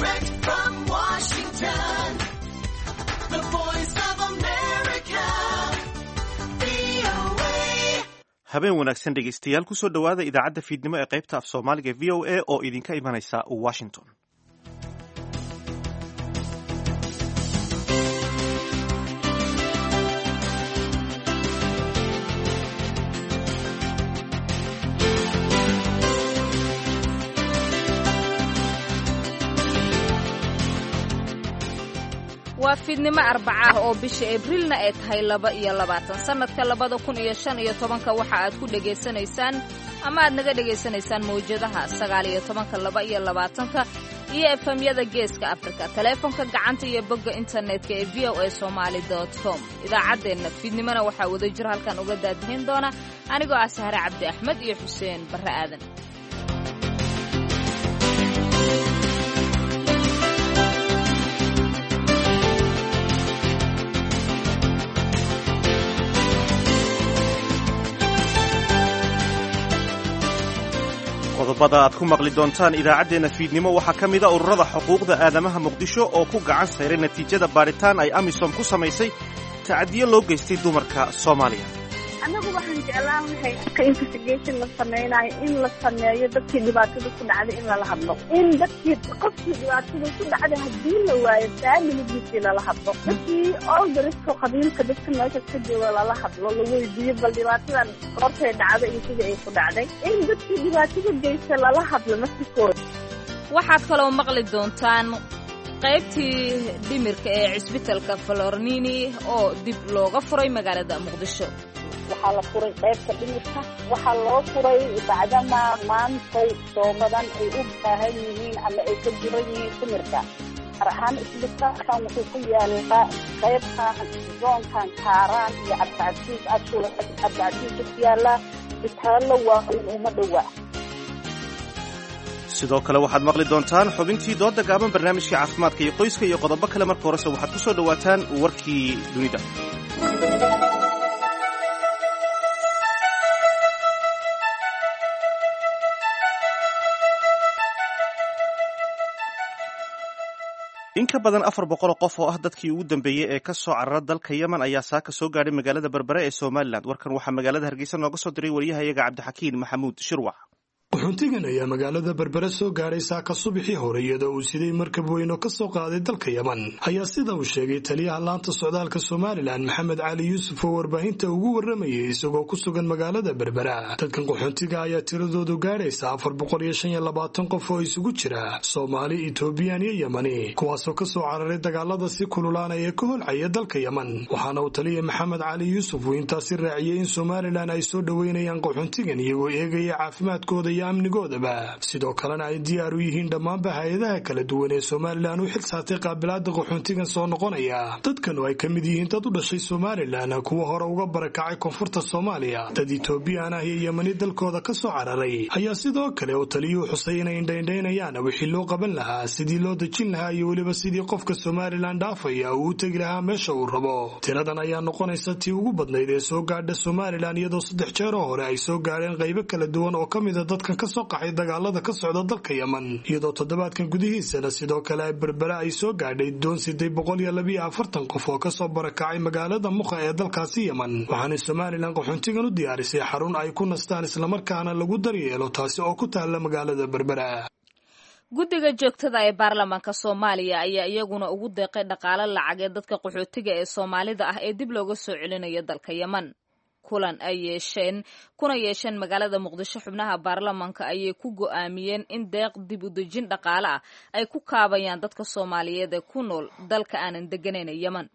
Direct from Washington, the voice of America, VOA. Habeen wanaagsan dhegaystayaal, kusoo dhowaada idaacadda fiidnimo ee qaybta af Soomaaliga VOA oo idinka imanaysa Washington. Waa fiidnimo Arbaca ah oo bisha Abriilna ay tahay 22, sannadka 2015. Waxa aad ku dhegaysanaysaan ama aad naga dhegaysanaysaan mawjadaha 19-ka, 22-ka iyo efemyada Geeska Afrika, taleefonka gacanta iyo bogga internetka ee voasomali com. Idaacaddeenna fiidnimona waxaa wada jir halkan uga daadihin doona anigoo ah Sahre Cabdi Axmed iyo Xuseen Barre Aadan. Qodobada aad ku maqli doontaan idaacaddeenna fiidnimo waxaa ka mida ururada xuquuqda aadamaha Muqdisho oo ku gacan sayray natiijada baadhitaan ay AMISOM ku samaysay tacadiyo loo geystay dumarka Soomaaliya. Annagu waxaan jeclaan lahay marka investigation la samaynayo in la sameeyo dadkii dhibaatada ku dhacday in lala hadlo, in dadkii qofkii dhibaatada ku dhacday haddii la waayo faamiligiisii lala hadlo, dadkii oldarsko qabiilka dadka meesha ka jooga lala hadlo, la weydiiyo bal dhibaatadan goortay dhacday iyo sidii ay ku dhacday, in dadkii dhibaatada geysta lala hadlo naftikooda. Waxaad kaloo maqli doontaan qaybtii dhimirka ee cisbitalka Falornini oo dib looga furay magaalada Muqdisho. Waxaa la furay qaybta dhimirka. Waxaa loo furay bacdama maantay soomadan ay u baahan yihiin ama ay ka jiran yihiin dhimirka. Gaar ahaan isbitaalkan wuxuu ku yaalaa qaybtan zoonkan Kaaraan iyo Cabdicasiis, ashul Cabdicasiis ku yaalaa isbitaallo waaweyn uma dhowa. Sidoo kale waxaad maqli doontaan xubintii dooda gaaban, barnaamijka caafimaadka iyo qoyska iyo qodobo kale. Marka horese waxaad ku soo dhowaataan warkii dunida. In ka badan 400 qof oo ah dadkii ugu dambeeyey ee ka soo carara dalka Yemen ayaa saaka soo gaadhay magaalada Berbere ee Somalilan. Warkan waxaa magaalada Hargeysa nooga soo diray wariyahayaga Cabdixakiin Maxamuud Shirwac. Qaxoontigan ayaa magaalada Berbere soo gaadhay saaka subaxii hore, iyadoo uu siday markab weyn oo ka soo qaaday dalka Yemen, ayaa sida uu sheegay taliyaha laanta socdaalka Somalilan Maxamed Cali Yuusuf oo warbaahinta ugu warramayay isagoo ku sugan magaalada Berbera. Dadkan qaxoontiga ayaa tiradoodu gaadhaysa 425 qof oo isugu jira Soomaali, Etoobiyaan iyo Yemani, kuwaasoo ka soo cararay dagaalada si kululaanaya ee ka holcaya dalka Yemen. Waxaana uu taliya Maxamed Cali Yuusuf uu intaasi raaciyey in Somalilan ay soo dhoweynayaan qaxoontigan iyagoo eegaya caafimaadkooda iyo amnigoodaba, sidoo kalena ay diyaar u yihiin dhammaanba hay-adaha kala duwan ee Somalilan u xil saartay qaabilaada qaxoontigan soo noqonaya. Dadkan oo ay ka mid yihiin dad u dhashay Somalilan, kuwa hore uga barakacay koonfurta Soomaaliya, dad Etoobiyaan ah iyo Yemani dalkooda ka soo cararay, ayaa sidoo kale oo taliyuhu xusay inay indhaindhaynayaan wixii loo qaban lahaa, sidii loo dejin lahaa iyo weliba sidii qofka Somalilan dhaafaya uu u tegi lahaa meesha uu rabo. Tiradan ayaa noqonaysa tii ugu badnayd ee soo gaadha Somalilan, iyadoo saddex jeeroo hore ay soo gaadheen qaybo kala duwan oo ka mida dadkan ka soo qaxay dagaalada ka socda dalka Yemen, iyadoo toddobaadkan gudihiisana sidoo kale Berbere ay soo gaadhay doon siday 142 qof oo kasoo barakacay magaalada Mukha ee dalkaasi Yemen. Waxaana Somalilan qaxoontigan u diyaarisay xarun ay ku nastaan islamarkaana lagu daryeelo, taasi oo ku taalla magaalada Berbera. Guddiga joogtada ee baarlamaanka Soomaaliya ayaa iyaguna ugu deeqay dhaqaale lacag ee dadka qaxootiga ee Soomaalida ah ee dib looga soo celinayo dalka Yemen. Kulan ay yeesheen kuna yeesheen magaalada Muqdisho xubnaha baarlamaanka ayay ku go'aamiyeen in deeq dib u dejin dhaqaale ah ay ku kaabayaan dadka Soomaaliyeed ee ku nool dalka aanan degganayn ee Yemen.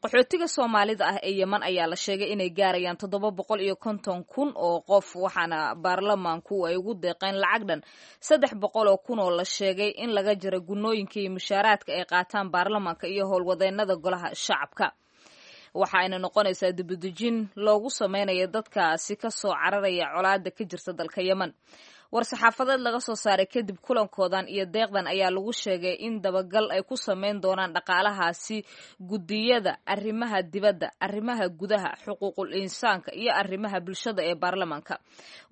Qaxootiga Soomaalida ah ee Yemen ayaa la sheegay inay gaarayaan 750,000 oo qof, waxaana baarlamaanku ay ugu deeqeen lacag dhan 300,000 oo la sheegay in laga jiro gunooyinka iyo mushaaraadka ay qaataan baarlamaanka iyo howlwadeennada golaha shacabka. Waxa ayna noqonaysaa dibudejin loogu samaynayo dadkaasi ka soo cararaya colaada ka jirta dalka Yemen. War-saxaafadeed laga soo saaray kadib kulankoodan iyo deeqdan ayaa lagu sheegay in dabagal ay ku sameyn doonaan dhaqaalahaasi guddiyada arrimaha dibadda, arrimaha gudaha, xuquuqul insaanka iyo arrimaha bulshada ee baarlamaanka.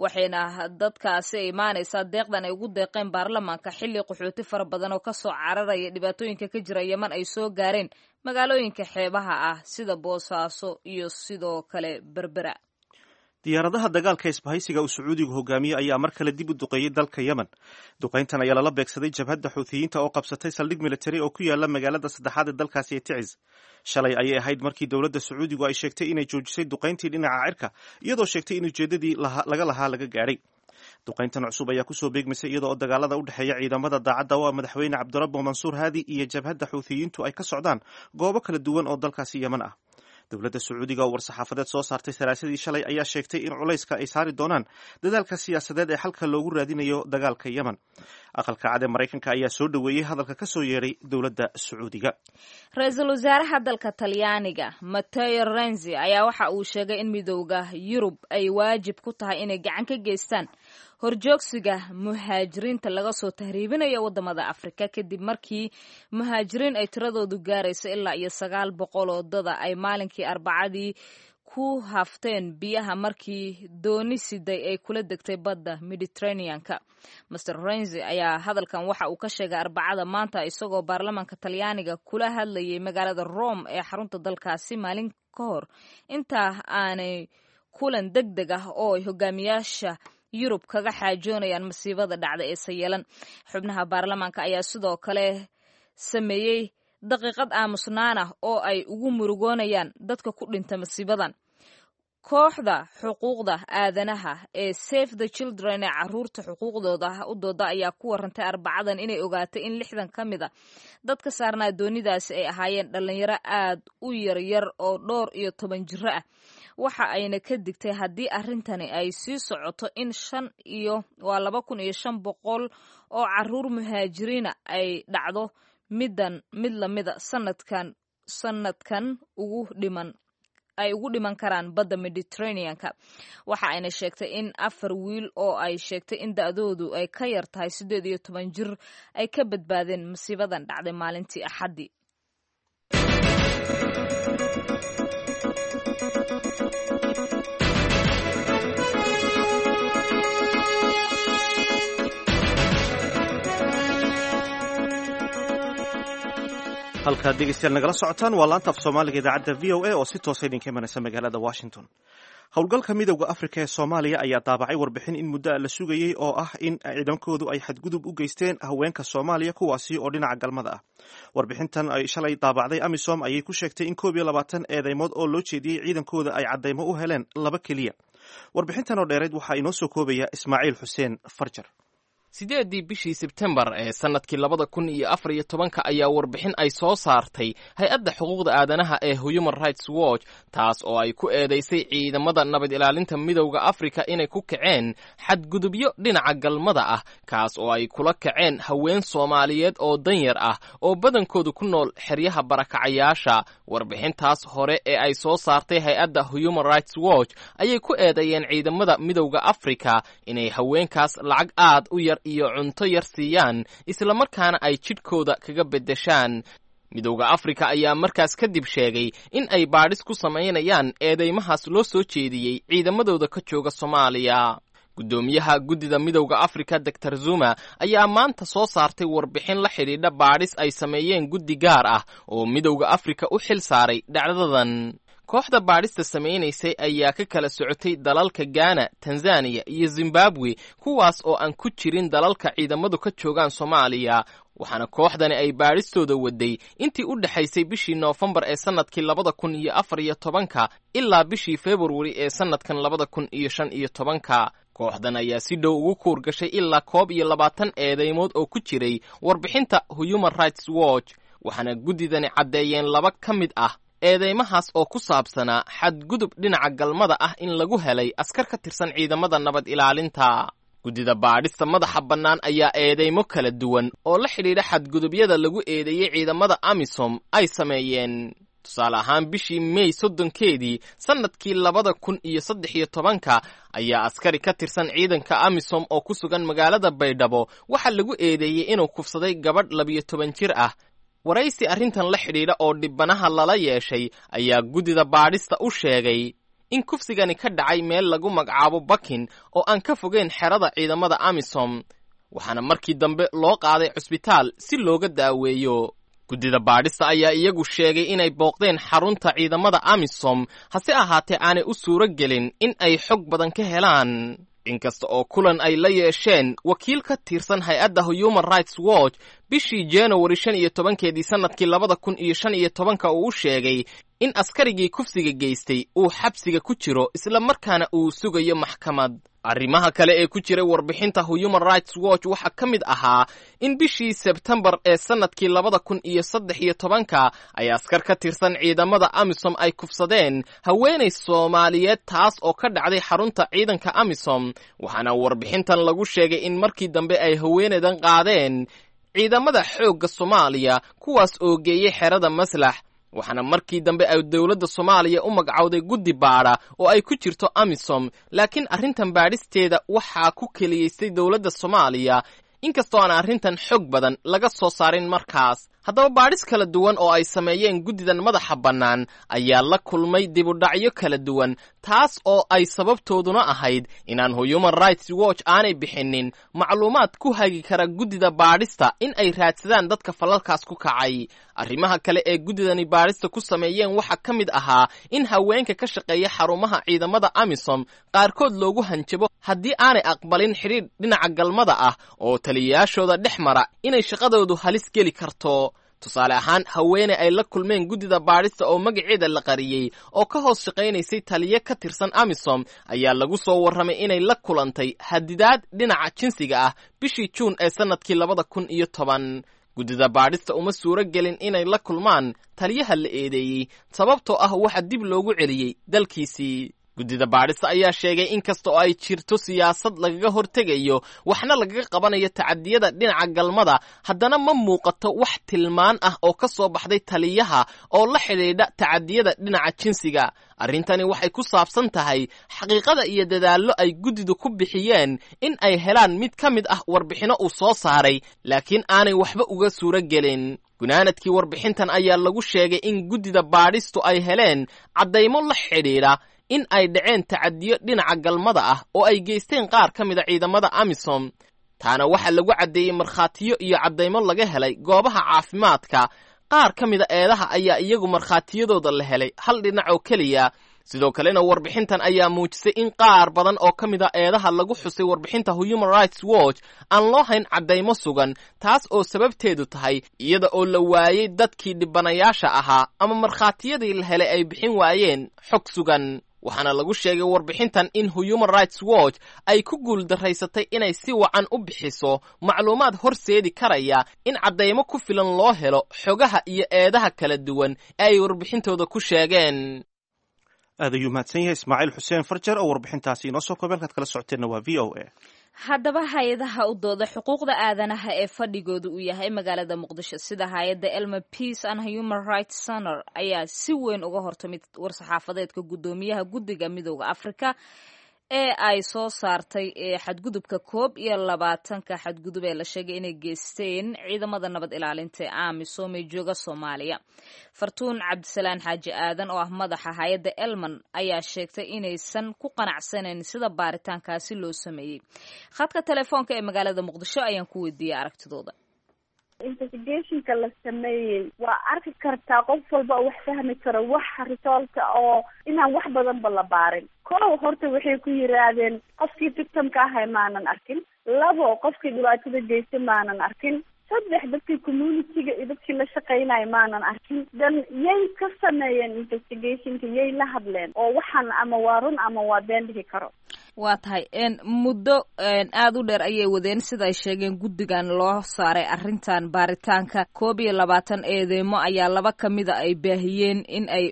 Waxayna dadkaasi imaanaysaa deeqdan ay ugu deeqeen baarlamaanka xilli qaxooti fara badan oo kasoo cararaya dhibaatooyinka ka jira Yeman ay soo gaareen magaalooyinka xeebaha ah sida Boosaaso iyo sidoo kale Berbera. Diyaaradaha dagaalka isbahaysiga uu Sacuudigu hogaamiyey ayaa mar kale dib u duqeeyey dalka Yemen. Duqayntan ayaa lala beegsaday jabhadda Xuuthiyiinta oo qabsatay saldhig militari oo ku yaala magaalada saddexaad ee dalkaasi ee Ticis. Shalay ayay ahayd markii dowladda Sacuudigu ay sheegtay inay joojisay duqayntii dhinaca cirka, iyadoo sheegtay in ujeeddadii laga lahaa laga gaadhay. Duqayntan cusub ayaa kusoo beegmaysay iyadoo dagaalada u dhexeeya ciidamada daacadda oo ah madaxweyne Cabdirabbo Mansuur Haadi iyo jabhadda Xuuthiyiintu ay ka socdaan goobo kala duwan oo dalkaasi Yemen ah. Dowladda Sacuudiga oo war-saxaafadeed soo saartay Salaasadii shalay ayaa sheegtay in culayska ay saari doonaan dadaalka siyaasadeed ee xalka loogu raadinayo dagaalka Yemen. Aqalka Cad ee Maraykanka ayaa soo dhoweeyey hadalka ka soo yeedhay dowladda Sacuudiga. Ra-iisul wasaaraha dalka Talyaaniga Matteo Renzi ayaa waxa uu sheegay in Midowda Yurub ay waajib ku tahay inay gacan ka geystaan horjoogsiga muhaajiriinta laga soo tahriibinayo wadamada Afrika, kadib markii muhaajiriin ay tiradoodu gaarayso ilaa iyo 900 oo dada ay maalinkii Arbacadii ku hafteen biyaha markii dooni siday ay kula degtay badda Mediterraneanka. Master Renzi ayaa hadalkan waxa uu ka sheegay Arbacada maanta isagoo baarlamaanka Talyaaniga kula hadlayay magaalada Rome ee xarunta dalkaasi, maalin ka hor intaa aanay kulan deg deg ah oo ay hogaamiyaasha Yurub kaga xaajoonayaan masiibada dhacda ee sayeelan. Xubnaha baarlamaanka ayaa sidoo kale sameeyey daqiiqad aamusnaan ah oo ay ugu murugoonayaan dadka ku dhinta masiibadan. Kooxda xuquuqda aadanaha ee Save the Children ee caruurta xuquuqdooda u dooda ayaa ku warantay Arbacadan inay ogaatay in 60 ka mid a dadka saarnaa doonidaasi ay ahaayeen dhalinyaro aad u yaryar oo dhowr iyo toban jiro ah. Waxa ayna ka digtay haddii arrintani ay sii socoto in shan iyo waa 2500 oo caruur muhaajiriina ay dhacdo middan mid lamida sanadkan ugu dhiman ay ugu dhiman karaan badda Mediterraneanka. Waxa ayna sheegtay in afar wiil oo ay sheegtay in da-doodu ay ka yar tahay 18 jir ay ka badbaadeen masiibadan dhacday maalintii Axaddii. Halkaad dhegeystayaal nagala socotaan waa laanta af Soomaaliga idaacadda VOA oo si toosa idinka imanaysa magaalada Washington. Howlgalka Midowda Afrika ee Soomaaliya ayaa daabacay warbixin in muddo a la sugayey oo ah in ciidankoodu ay xadgudub u geysteen haweenka Soomaaliya, kuwaasi oo dhinaca galmada ah. Warbixintan ay shalay daabacday AMISOM ayay ku sheegtay in 21 eedeymood oo loo jeediyey ciidankooda ay caddaymo u heleen laba keliya. Warbixintan oo dheereyd waxaa inoo soo koobaya Ismaaciil Xuseen Farjar. 8-dii bishii Sebtembar ee sannadkii 2014-ka ayaa warbixin ay soo saartay hay-adda xuquuqda aadanaha ee Human Rights Watch, taas oo ay ku eedaysay ciidamada nabad ilaalinta Midowda Afrika inay ku kaceen xadgudubyo dhinaca galmada ah, kaas oo ay kula kaceen haween Soomaaliyeed oo danyar ah oo badankoodu ku nool xeryaha barakacayaasha. Warbixintaas hore ee ay soo saartay hay-adda Human Rights Watch ayay ku eedeeyeen ciidamada Midowda Afrika inay haweenkaas lacag aad u yar iyo cunto yar siiyaan, islamarkaana ay jidhkooda kaga beddeshaan. Midowda Afrika ayaa markaas kadib sheegay in ay baadhis ku samaynayaan eedeymahaas loo soo jeediyey ciidamadooda ka jooga Soomaaliya. Guddoomiyaha guddida Midowda Afrika Doctor Zuma ayaa maanta soo saartay warbixin la xidhiidha baadhis ay sameeyeen guddi gaar ah oo Midowda Afrika u xil saaray dhacdadan. Kooxda baadhista samaynaysay ayaa ka kala socotay dalalka Gaana, Tanzaniya iyo Zimbabwe, kuwaas oo aan ku jirin dalalka ciidamadu ka joogaan Soomaaliya. Waxaana kooxdani ay baadhistooda waday intii u dhexaysay bishii Noofembar ee sannadkii 2014-ka ilaa bishii Februari ee sannadkan 2015-ka. Kooxdan ayaa si dhow ugu kuur gashay ilaa 21 eedeymood oo ku jiray warbixinta Human Rights Watch, waxaana guddidani caddeeyeen laba ka mid ah eedeymahaas oo ku saabsanaa xadgudub dhinaca galmada ah in lagu helay askar ka tirsan ciidamada nabad ilaalinta. Guddida baadhista madaxa bannaan ayaa eedeymo kala duwan oo la xidhiidha xadgudubyada lagu eedeeyey ciidamada AMISOM ay sameeyeen. Tusaale ahaan, bishii Mey 30-keedii sannadkii 2013-ka ayaa askari ka tirsan ciidanka AMISOM oo ku sugan magaalada Baydhabo waxaa lagu eedeeyey inuu kufsaday gabadh 12 jir ah. Waraysi arrintan la xidhiidha oo dhibanaha lala yeeshay ayaa guddida baadhista u sheegay in kufsigani ka dhacay meel lagu magacaabo Bakin oo aan ka fogeyn xerada ciidamada AMISOM, waxaana markii dambe loo qaaday cusbitaal si looga daaweeyo. Guddida baadhista ayaa iyagu sheegay inay booqdeen xarunta ciidamada AMISOM, hase ahaatee aanay u suuro gelin in ay xog badan ka helaan, inkasta oo kulan ay la yeesheen wakiil ka tirsan hay-adda Human Rights Watch bishii January 15-keedii sannadkii 2015-ka uu u sheegay in askarigii kufsiga geystay uu xabsiga ku jiro, isla markaana uu sugayo maxkamad. Arrimaha kale ee ku jiray warbixinta Human Rights Watch waxaa ka mid ahaa in bishii Sebtembar ee sannadkii 2013-ka ay askar ka tirsan ciidamada AMISOM ay kufsadeen haweenay Soomaaliyeed, taas oo ka dhacday xarunta ciidanka AMISOM. Waxaana warbixintan lagu sheegay in markii dambe ay haweenaydan qaadeen ciidamada xoogga Soomaaliya, kuwaas oo geeyey xerada Maslax, waxaana markii dambe ay dowladda Soomaaliya u magacowday guddi baadha oo ay ku jirto AMISOM, laakiin arrintan baadhisteeda waxaa ku keliyeystay dowladda Soomaaliya, inkastoo aan arrintan xog badan laga soo saarin markaas. Haddaba, baadhis kala duwan oo ay sameeyeen guddidan madaxa bannaan ayaa la kulmay dibudhacyo kala duwan, taas oo ay sababtooduna ahayd inaan Human Rights Watch aanay bixinin macluumaad ku hagi kara guddida baadhista in ay raadsadaan dadka falalkaas ku kacay. Arrimaha kale ee guddidani baadhista ku sameeyeen waxaa ka mid ahaa in haweenka ka shaqeeya xarumaha ciidamada AMISOM qaarkood loogu hanjabo haddii aanay aqbalin xidhiidh dhinaca galmada ah oo taliyayaashooda dhex mara inay shaqadoodu halis geli karto. Tusaale ahaan, haweeney ay la kulmeen guddida baadhista oo magaceeda la qariyey oo ka hoos shaqaynaysay taliye ka tirsan AMISOM ayaa lagu soo warramay inay la kulantay hadidaad dhinaca jinsiga ah bishii Juun ee sannadkii 2010. Guddida baadhista uma suuro gelin inay la kulmaan taliyaha la eedeeyey, sababtoo ah waxa dib loogu celiyey dalkiisii. Guddida baadhista ayaa sheegay in kasta oo ay jirto siyaasad lagaga hortegayo waxna lagaga qabanayo tacadiyada dhinaca galmada, haddana ma muuqato wax tilmaan ah oo ka soo baxday taliyaha oo la xidhiidha tacadiyada dhinaca jinsiga. Arrintani waxay ku saabsan tahay xaqiiqada iyo dadaallo ay guddidu ku bixiyeen in ay helaan mid ka mid ah warbixinno uu soo saaray, laakiin aanay waxba uga suuro gelin. Gunaanadkii warbixintan ayaa lagu sheegay in guddida baadhistu ay heleen caddaymo la xidhiidha in ay dhaceen tacadiyo dhinaca galmada ah oo ay geysteen qaar ka mida ciidamada AMISOM. Taana waxaa lagu caddeeyey markhaatiyo iyo caddaymo laga helay goobaha caafimaadka. Qaar ka mida eedaha ayaa iyagu markhaatiyadooda la helay hal dhinac oo keliya. Sidoo kalena, warbixintan ayaa muujisay in qaar badan oo ka mid a eedaha lagu xusay warbixinta Human Rights Watch aan loo hayn caddaymo sugan, taas oo sababteedu tahay iyada oo la waayey dadkii dhibanayaasha ahaa ama markhaatiyadii la helay ay bixin waayeen xog sugan. Waxaana lagu sheegay warbixintan in Human Rights Watch ay ku guuldaraysatay inay si wacan u bixiso macluumaad horseedi karaya in caddaymo ku filan loo helo xogaha iyo eedaha kala duwan ee ay warbixintooda ku sheegeen. Aad ayuu mahadsan yahay Ismaaciil Xuseen Farjar oo warbixintaasi inoo soo koobay. Halkaad kala socoteenna waa VOA. Haddaba, hay-adaha u dooda xuquuqda aadanaha ee fadhigooda uu yahay magaalada Muqdisho, sida hay-adda Elma Peace and Human Rights Center, ayaa si weyn uga hortamid war-saxaafadeedka guddoomiyaha guddiga Midooda Afrika ee ay soo saartay ee xadgudubka 21-ka xadgudub ee la sheegay inay geysteen ciidamada nabad ilaalinta ee AMISOM ee jooga Soomaaliya. Fartuun Cabdisalaan Xaaji Aadan oo ah madaxa hay-adda Elman ayaa sheegtay inaysan ku qanacsanayn sida baaritaankaasi loo sameeyey. Khadka telefoonka ee magaalada Muqdisho ayaan ku weydiiyey aragtidooda. Investigationka la sameeyey waa arki kartaa qof walba oo wax fahmi karo, wax resultka oo inaan wax badanba la baarin. Kow, horta waxay ku yiraahdeen qofkii victimka ahay maanan arkin. Labo, qofkii dhibaatada geystay maanan arkin. Saddex, dadkii communityga iyo dadkii la shaqeynaya maanan arkin. Dan yay ka sameeyeen investigationka? Yay la hadleen oo waxaan ama waa run ama waa been dhihi karo? Waa tahay, muddo aada u dheer ayay wadeen sida ay sheegeen guddigan loo saaray arrintan baaritaanka. 21 eedeymo ayaa laba kamida ay baahiyeen in ay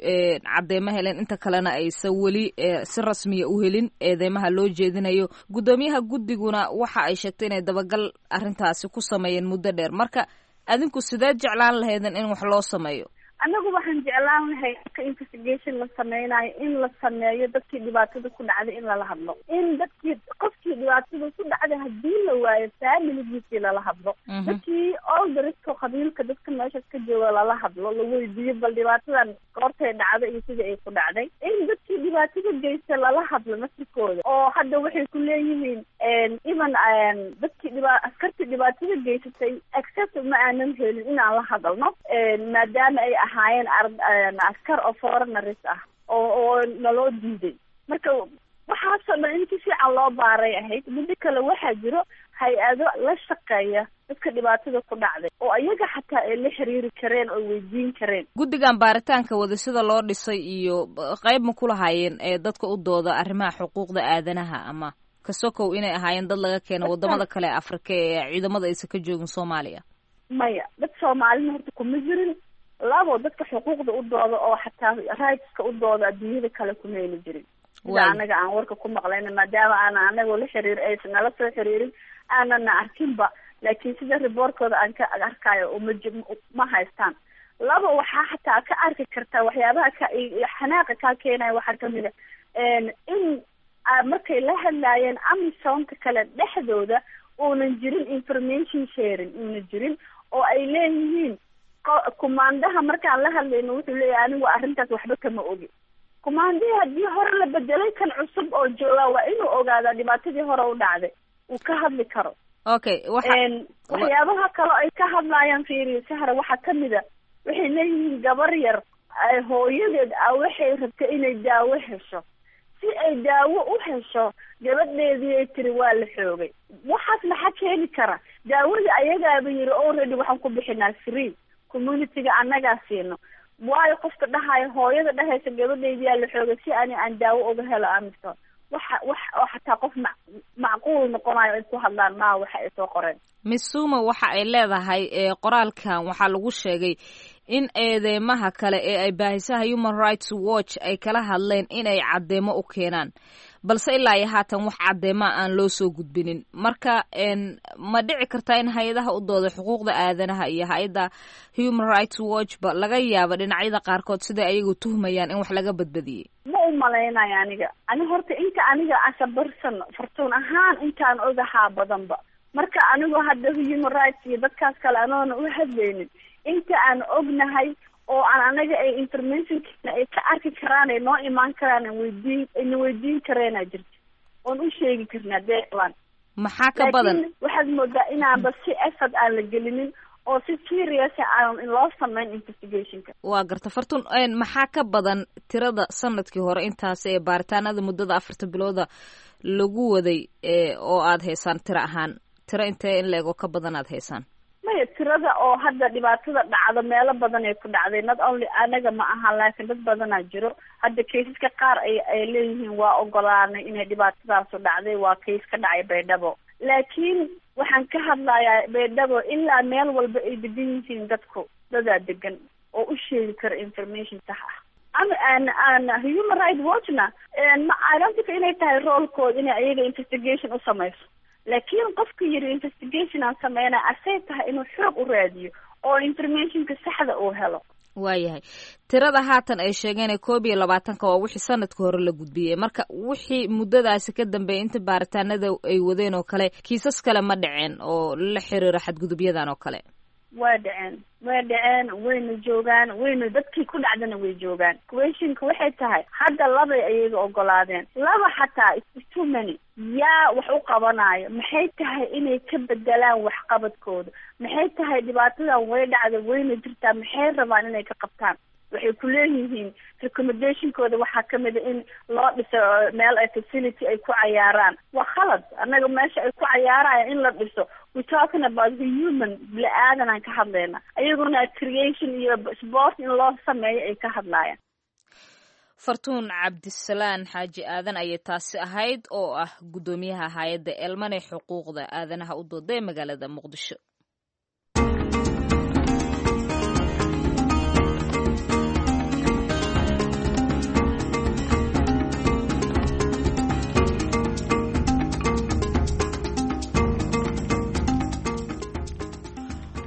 cadeymo heleen, inta kalena aysan weli si rasmiya u helin eedeymaha loo jeedinayo. Guddoomiyaha guddiguna waxa ay sheegtay inay dabagal arrintaasi ku sameeyeen muddo dheer. Marka adinku sideed jeclaan lahaydeen in wax loo sameeyo? Anagu waxaan jeclaan lahay marka investigation la sameynayo in la sameeyo dadkii dhibaatada ku dhacday in lala hadlo, in dadkii qofkii dhibaatada ku dhacday hadii la waayo familigiisii lala hadlo, dadkii olderska qabiilka dadka meeshaas ka jooga lala hadlo, la weydiiyo bal dhibaatadan goortay dhacday iyo sidii ay ku dhacday, in dadkii dhibaatada geysta lala hadlo naftirkooda. Oo hadda waxay ku leeyihiin even dadkii askartii dhibaatada geysatay accept ma aanan helin inaan la hadalno, maadaama ay ahaayeen askar oo foreigners ah oo naloo diiday. Marka waxaasoo dhan in si fiican loo baaray ahayd. Muddo kale waxaa jiro hay-ado la shaqeeya dadka dhibaatada ku dhacday oo ayaga xataa ay la xiriiri kareen oo weydiin kareen. Guddigan baaritaanka wada sida loo dhisay iyo qayb ma ku lahaayeen ee dadka u dooda arrimaha xuquuqda aadanaha, ama kasokow inay ahaayeen dad laga keeno wadamada kale ee Afrika ee ciidamada aysan ka joogin Soomaaliya? Maya, dad Soomaalina horta kuma jirin. Labo, dadka xuquuqda u dooda oo xataa rightska u dooda adduunyada kale kuma ayna jirin, sida anaga aan warka ku maqlayna, maadaama aana anagoo la xiriir aysan nala soo xiriirin aanana arkinba, laakiin sida riboorkooda aan ka arkayo ma haystaan. Labo, waxaa xataa ka arki kartaa waxyaabaha ka xanaaqa kaa keenaya waxaa kamid a in markay la hadlaayeen amisonka kale dhexdooda uunan jirin information sharing, uuna jirin, oo ay leeyihiin kumaandaha markaan la hadlayno wuxuu leeyahay anigu arrintaas waxba kama ogi. Kumaandihii haddii hore la bedelay, kan cusub oo joogaa waa inuu ogaadaa dhibaatadii hore u dhacday, uu ka hadli karo. Okay, waxyaabaha kale ay ka hadlaayaan fiiriyo Sahra, waxaa kamid a waxay leeyihiin gabar yar hooyadeed ah waxay rabtay inay daawo hesho, si ay daawo u hesho gabadheedii ay tiri waa la xoogay. Waxaas maxaa keeni kara? Daawadii ayagaaba yiri already waxaan ku bixinaa free, communityga annagaa siino. Waayo qofka dhahayo, hooyada dhahaysa gabadheydiyaa la xoogay si ani aan daawo uga helo Amison, waxa wax oo xataa qof macquul noqonayo ay ku hadlaan maa waxa ay soo qoreen. Missuma waxa ay leedahay qoraalkan waxaa lagu sheegay in eedeymaha kale ee ay baahisaha Human Rights Watch ay kala hadleen inay caddeemo u keenaan, balse ilaa iyo haatan wax caddeema aan loo soo gudbinin. Marka ma dhici kartaa in hay-adaha u dooda xuquuqda aadanaha iyo hay-adda Human Rights Watch ba laga yaabo dhinacyada qaarkood siday ayagu tuhmayaan in wax laga badbadiyey? Ma u malaynayo aniga. Ani horta inta aniga asabarsan Fartuun ahaan intaan ogahaa badanba, marka anigu hadda human rights iyo dadkaas kale anoona u hadlaynin, inta aan ognahay oo aan anaga ay informationkana ay ka arki karaan, ay noo imaan karaan, weydiin ayna weydiin kareena jirta oon u sheegi karnaa deelan. Maxaa ka badan? Laakiin waxaad moodaa inaanba si effort aan la gelinin oo si serious aan loo sameyn investigationka. Waa garta Fartun, maxaa ka badan tirada sanadkii hore intaas ee baaritaanada muddada 4ta bilooda lagu waday oo aada haysaan tiro ahaan, tiro intee in la ego ka badan aada haysaan? Maya, tirada oo hadda dhibaatada dhacdo meelo badan ay ku dhacday, not only anaga ma aha, laakiin dad badanaa jiro. Hadda kaysaska qaar ay leeyihiin waa ogolaanay inay dhibaatadaasu dhacday, waa kays ka dhacay Baydhabo, laakiin waxaan ka hadlayaa Baydhabo ilaa meel walba ay degan yihiin dadku, dadaa degan oo u sheegi kara information sax ah. Ama aan Human Right Watchna ma I don't think inay tahay roolkooda inay ayaga investigation u samayso, laakiin qofka yiri investigation aan sameynaya asay tahay inuu xoog u raadiyo oo informationka saxda uu helo. Waayahay, tirada haatan ay sheegeen ee 21-ka waa wixii sanadka hore la gudbiyey. Marka wixii muddadaasi ka dambeeyay inta baaritaanada ay wadeen oo kale, kiisas kale ma dhaceen oo la xiriira xadgudubyadan oo kale? Waa dhaceen, way dhaceen, wayna joogaan, wayna dadkii ku dhacdana way joogaan. Questionka waxay tahay hadda labay ayaga ogolaadeen, laba xataa is too many. Yaa wax u qabanayo? Maxay tahay inay ka bedelaan waxqabadkooda? Maxay tahay dhibaatadan way dhacda wayna jirtaa, maxay rabaan inay ka qabtaan? Waxay ku leeyihiin recommendationkooda waxaa kamid a in loo dhiso meel ay facility ay ku cayaaraan. Waa khalad, annaga meesha ay ku cayaarayaan in la dhiso, we talking about the human, bini-aadan aan ka hadlayna, ayaguna creation iyo sport in loo sameeyo ay ka hadlaayaan. Fartuun Cabdisalaan Xaaji Aadan ayay taasi ahayd oo ah guddoomiyaha hay-adda Elman ee xuquuqda aadanaha u dooda ee magaalada Muqdisho.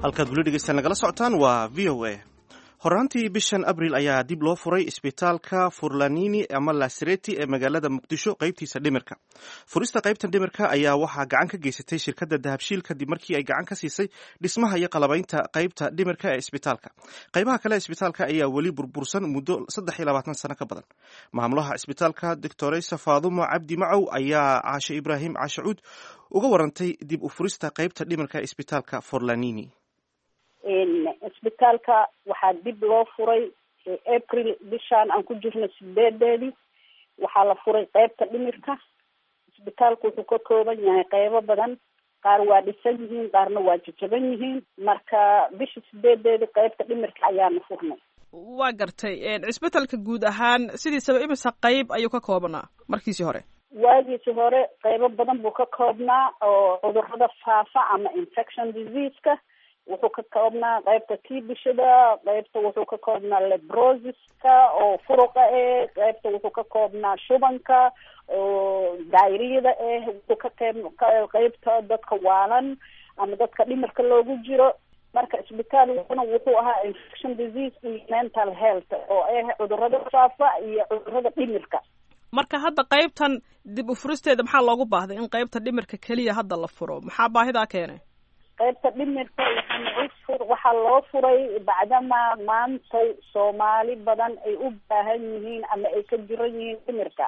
Halkaad weli dhegeysta nagala socotaan waa VOA. Horaantii bishan Abril ayaa dib loo furay isbitaalka Furlanini ama Lasreti ee magaalada Muqdisho qaybtiisa dhimirka. Furista qaybtan dhimirka ayaa waxaa gacan ka geysatay shirkadda Dahabshiil kadib markii ay gacan ka siisay dhismaha iyo qalabaynta qaybta dhimirka ee isbitaalka. Qaybaha kale ee isbitaalka ayaa weli burbursan muddo 23 sano ka badan. Maamulaha isbitaalka, Doctoresa Faadumo Cabdi Macow, ayaa Caashe Ibraahim Caashacuud uga warantay dib u furista qaybta dhimirka ee isbitaalka Forlanini. Isbitaalka waxaa dib loo furay April bishaan aan ku jirno 8-deedii. Waxaa la furay qeybta dhimirka. Isbitaalku wuxuu ka kooban yahay qeybo badan, qaar waa dhisan yihiin, qaarna waa jajaban yihiin. Marka bisha 8-deedii qeybta dhimirka ayaanu furnay. Waa gartay. Cisbitalka guud ahaan sidiisaba imisa qeyb ayuu ka koobnaa markiisii hore? Waagiisi hore qeybo badan buu ka koobnaa, oo cudurada faafa ama infection disease-ka wuxuu ka koobnaa, qeybta tiibishada, qeybta wuxuu ka koobnaa leprosiska oo furuqa eh, qeybta wuxuu ka koobnaa shubanka oo diarrhea-da eh, wuxuu ka qeyb qeybta dadka waalan ama dadka dhimirka loogu jiro. Marka isbitaalkuna wuxuu ahaa infection disease iyo mental health, oo ah cudurada faafa iyo cudurada dhimirka. Marka hadda qaybtan dib u furisteeda maxaa loogu baahday in qaybta dhimirka keliya hadda la furo? Maxaa baahidaa keenay? Qaybta dhimirka waxaa loo furay bacdama maantay Soomaali badan ay u baahan yihiin ama ay ka jiran yihiin dhimirka.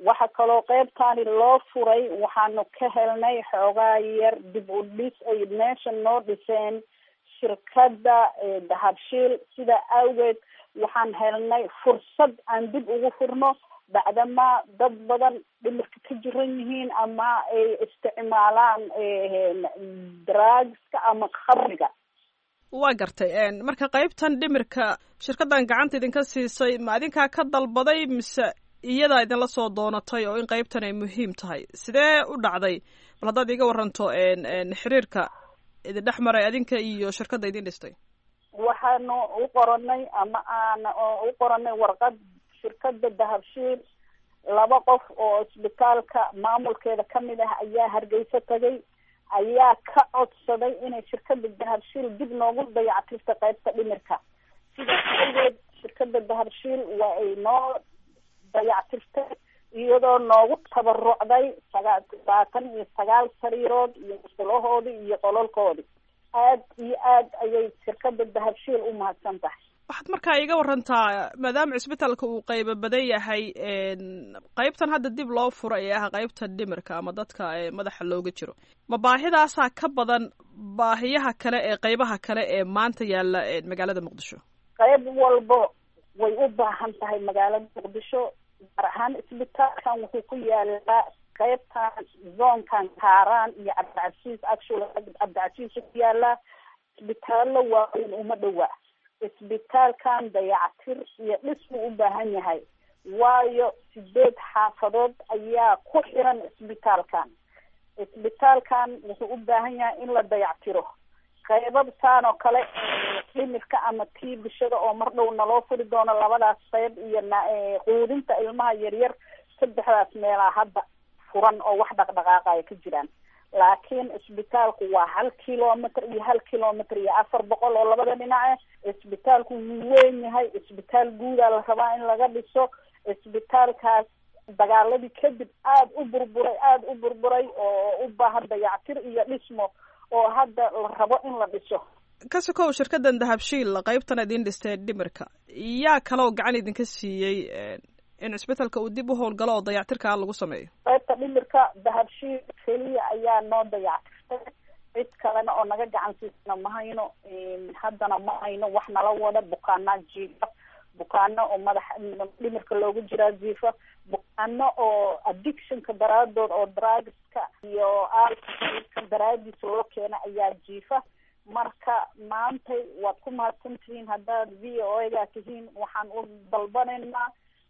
Waxa kaloo qaybtaani loo furay, waxaanu ka helnay xoogaa yar dib u dhis ay meesha noo dhiseen shirkadda Dahabshiil. Sidaa awgeed waxaan helnay fursad aan dib ugu furno, bacdama dad badan dhimirka ka jiran yihiin ama ay isticmaalaan drugska ama khamriga. Waa gartay. Marka qaybtan dhimirka shirkaddan gacanta idinka siisay, ma idinkaa ka dalbaday mise iyadaa idinla soo doonatay oo in qaybtan ay muhiim tahay? Sidee u dhacday? Bal haddaad iiga waranto xiriirka idin dhex maray adinka iyo shirkadda idin dhistay. Waxaanu u qoranay ama aan u qoranay warqad shirkadda Dahabshiil. Laba qof oo isbitaalka maamulkeeda kamid ah ayaa Hargeysa tagay, ayaa ka codsaday inay shirkadda Dahabshiil dib noogu dayactirta qaybta dhimirka. Sidaas awgeed shirkadda Dahabshiil waa ay noo dayactirtay, iyadoo noogu tabarucday 29 sariirood iyo musqulahoodii iyo qololkoodii. Aad iyo aad ayay shirkadda Dahabshiil u mahadsan tahay. Waxaad markaa iiga warantaa, maadaama cisbitaalka uu qaybo badan yahay, qaybtan hadda dib loo furay ee ah qaybta dhimirka ama dadka madaxa looga jiro, ma baahidaasaa ka badan baahiyaha kale ee qaybaha kale ee maanta yaalla magaalada Muqdisho? Qayb walbo way u baahan tahay magaalada Muqdisho, gaar ahaan isbitaalkan wuxuu ku yaalaa qaybtan zoonkan Kaaraan iyo Cabdicasiis. Actually, Cabdicasiis ku yaalaa, isbitaallo waaweyn uma dhowa. Isbitaalkan dayactir iyo dhismu u baahan yahay, waayo sideed xaafadood ayaa ku xiran isbitaalkan. Isbitaalkan wuxuu u baahan yahay in la dayactiro qaybab saan oo kale dhimirka ama tiibishada oo mar dhow naloo furi doono, labadaas qayb iyo quudinta ilmaha yaryar. Saddexdaas meelaa hadda furan oo wax dhaqdhaqaaqaya ka jiraan, laakiin isbitaalku waa 1 kilometer iyo 1 kilometer iyo 400 oo labada dhinace. Isbitaalku wuu weyn yahay, isbitaal guudaa la rabaa in laga dhiso. Isbitaalkaas dagaaladii kadib aada u burburay, aada u burburay, oo u baahan dayactir iyo dhismo oo hadda la rabo in la dhiso. Ka sokow shirkaddan Dahabshiil qaybtan idin dhistay dhimirka, yaa kaloo gacan idinka siiyey in cisbitalka uu dib u howlgalo oo dayactirkaa lagu sameeyo? Qaybta dhimirka Dahabshiil keliya ayaa noo dayactirtay, cid kalena oo naga gacan siisana ma hayno. Haddana ma hayno wax nala wada. Bukaanaa jiifa, bukaano oo madax dhimirka loogu jiraa jiifa, bukaano oo addictionka daraadood oo drugska iyo alcoholka daraadiis loo keena ayaa jiifa. Marka maantay waad ku mahadsantihiin haddaad VOA-ga tihiin. Waxaan u dalbanaynaa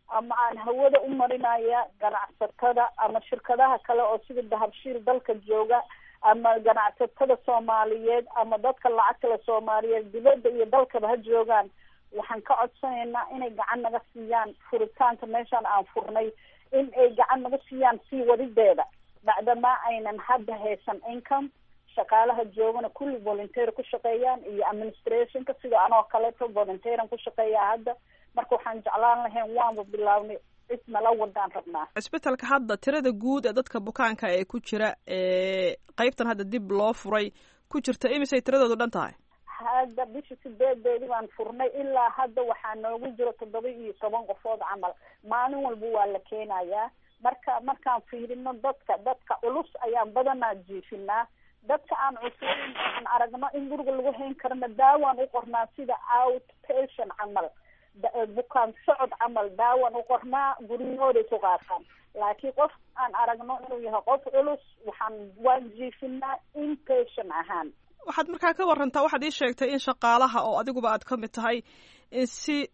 ama aan hawada u marinaya ganacsatada ama shirkadaha kale oo sida Dahabshiil dalka jooga, ama ganacsatada Soomaaliyeed, ama dadka lacagtale Soomaaliyeed dibadda iyo dalkaba ha joogaan, waxaan ka codsanaynaa inay gacan naga siiyaan furitaanka meeshaan aan furnay, in ay gacan naga siiyaan sii wadideeda, bacdamaa aynan hadda haysan income. Shaqaalaha joogana kulli volunteer ku shaqeeyaan iyo administrationka sida anoo kaleeto volunteeran ku shaqeeyaa hadda. Marka waxaan jeclaan lahayn, waanba bilaabnay, cid nala wadaan rabnaa. Cisbitalka hadda tirada guud ee dadka bukaanka ee ku jira ee qeybtan hadda dib loo furay ku jirta, imisay tiradoodu dhan tahay? Hadda bisha 8-deedii baan furnay, ilaa hadda waxaa noogu jiro 17 qofood camal. Maalin walba waa la keenayaa. Marka markaan fiirino dadka culus ayaan badanaa jiifinaa. Dadka aan cuslayn oo aan aragno in guriga lagu hayn karna, daawaan u qornaa, sida out patient camal, bukaan socod camal daawaan u qornaa, guryahooday ku qaataan. Laakiin qof aan aragno inuu yahay qof culus, waan jiifinaa inpatient ahaan. Waxaad markaa ka warantaa, waxaad ii sheegtay in shaqaalaha oo adiguba aad ka mid tahay in si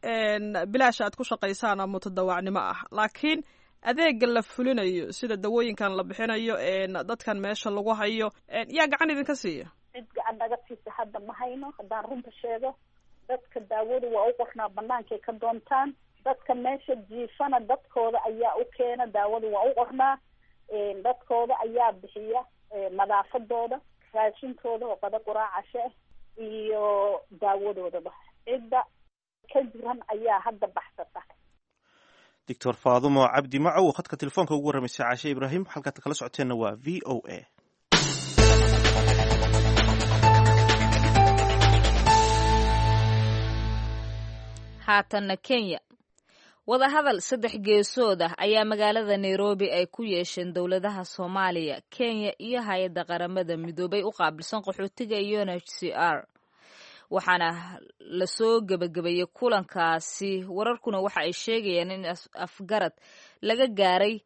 bilaash aad ku shaqaysaan oo mutadawacnimo ah, laakiin adeega la fulinayo, sida dawooyinkan la bixinayo, dadkan meesha lagu hayo, yaa gacan idinka siiya? Cid gacan naga siisa hadda ma hayno. Haddaan runta sheego, dadka daawadu waa u qornaa, banaankay ka doontaan. Dadka meesha jiifana dadkooda ayaa u keena, daawadu waa u qornaa, dadkooda ayaa bixiya nadaafadooda, raashinkooda oo qada, quraac, cashe ah iyo daawadoodaba. Cidda ka jiran ayaa hadda baxsata. Doctor Faadumo Cabdi Macow oo khadka telefoonka ugu warramaysay Caashe Ibraahim. Halkaad kala socoteenna waa VOA. Haatanna Kenya. Wadahadal saddex geesood ah ayaa magaalada Nairobi ay ku yeesheen dowladaha Soomaaliya, Kenya iyo hay-adda Qaramada Midoobay u qaabilsan qaxootiga UNHCR, waxaana lasoo gebagabeeyey kulankaasi. Wararkuna waxa ay sheegayaan in afgarad laga gaaray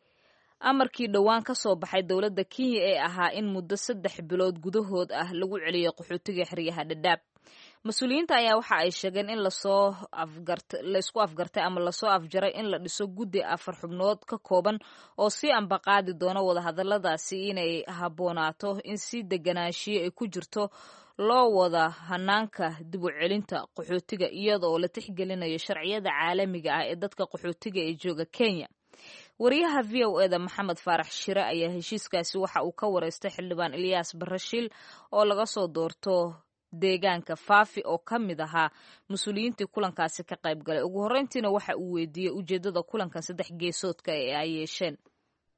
amarkii dhowaan ka soo baxay dowladda Kenya ee ahaa in muddo 3 bilood gudahood ah lagu celiyo qaxootiga xeryaha Dhadhaab. Mas-uuliyiinta ayaa waxa ay sheegeen in lasoo afgart laysku afgartay ama lasoo afjaray in la dhiso guddi afar xubnood ka kooban oo sii ambaqaadi doona wadahadaladaasi, inay habboonaato in si deganaanshiyo ay ku jirto loo wada hanaanka dib u celinta qaxootiga, iyada oo la tixgelinayo sharciyada caalamiga ah ee dadka qaxootiga ee jooga Kenya. Wariyaha VOA-da Maxamed Faarax Shire ayaa heshiiskaasi waxa uu ka wareystay xildhibaan Ilyaas Barashiil oo laga soo doorto deegaanka Faafi, oo ka mid ahaa mas-uuliyiintii kulankaasi ka qayb galay. Ugu horreyntiina waxa uu weydiiyey ujeeddada kulankan saddex geesoodka ee ay yeesheen.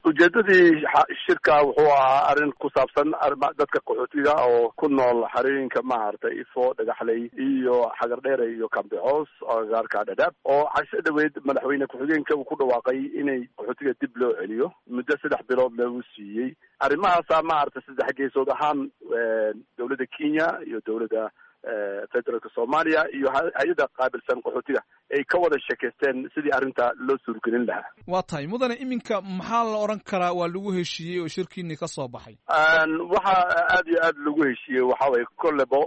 Ujeedadii shirka wuxuu ahaa arrin ku saabsan dadka qaxootiga oo ku nool xerooyinka, maaragtay, Ifo, Dhagaxley iyo Xagardheere iyo Kambicoos, agagaarka Dhadhaab, oo casho dhaweyd madaxweyne ku-xigeenka uu ku dhawaaqay inay qaxootiga dib loo celiyo, muddo 3 bilood lagu siiyey. Arrimahaasa, maaragtay, saddex geesood ahaan dowladda Kenya iyo dowladda federaalka Soomaaliya iyo hay-adda qaabilsan qaxootiga ay ka wada sheekaysteen sidii arrinta loo suurgelin lahaa. Waa tahay, mudane. Iminka maxaa la odhan karaa waa lagu heshiiyey oo shirkiinii ka soo baxay? Waxaa aada iyo aada lagu heshiiyey waxa waye, kollebo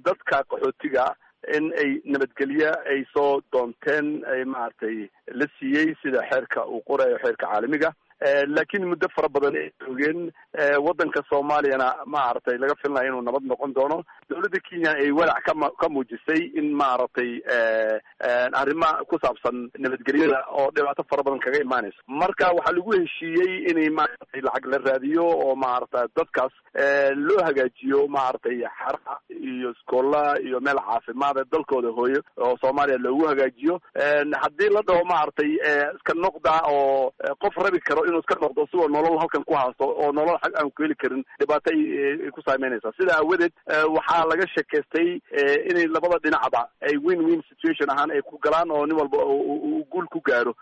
dadka qaxootiga in ay nabadgelye ay soo doonteen ay, maaragtay, la siiyey sida xeerka uu qorayo, xeerka caalamiga, laakiin muddo fara badan ay joogeen waddanka Soomaaliyana, maaragtay, laga filinayo inuu nabad noqon doono. Dowladda Kenya ay walaac ka muujisay in, maaragtay, arrima ku saabsan nabadgelyada oo dhibaato fara badan kaga imaanayso. Marka waxaa lagu heshiiyey inay, maaragtay, lacag la raadiyo oo, maaragtay, dadkaas loo hagaajiyo, maaragtay, xaraha iyo iskoollaha iyo meel caafimaada dalkooda hooyo oo Soomaaliya loogu hagaajiyo. Haddii la dhaho, maaragtay, iska noqda, oo qof rabi karo inuu iska noqdo sigoo nolol halkan ku haysto oo nolol xag aan ku heli karin, dhibaato ay ku saameynaysaa. Sida aawadeed waxaa laga sheekaystay inay labada dhinacba ay win win situation ahaan ay ku galaan oo nin walba uu guul ku gaaro,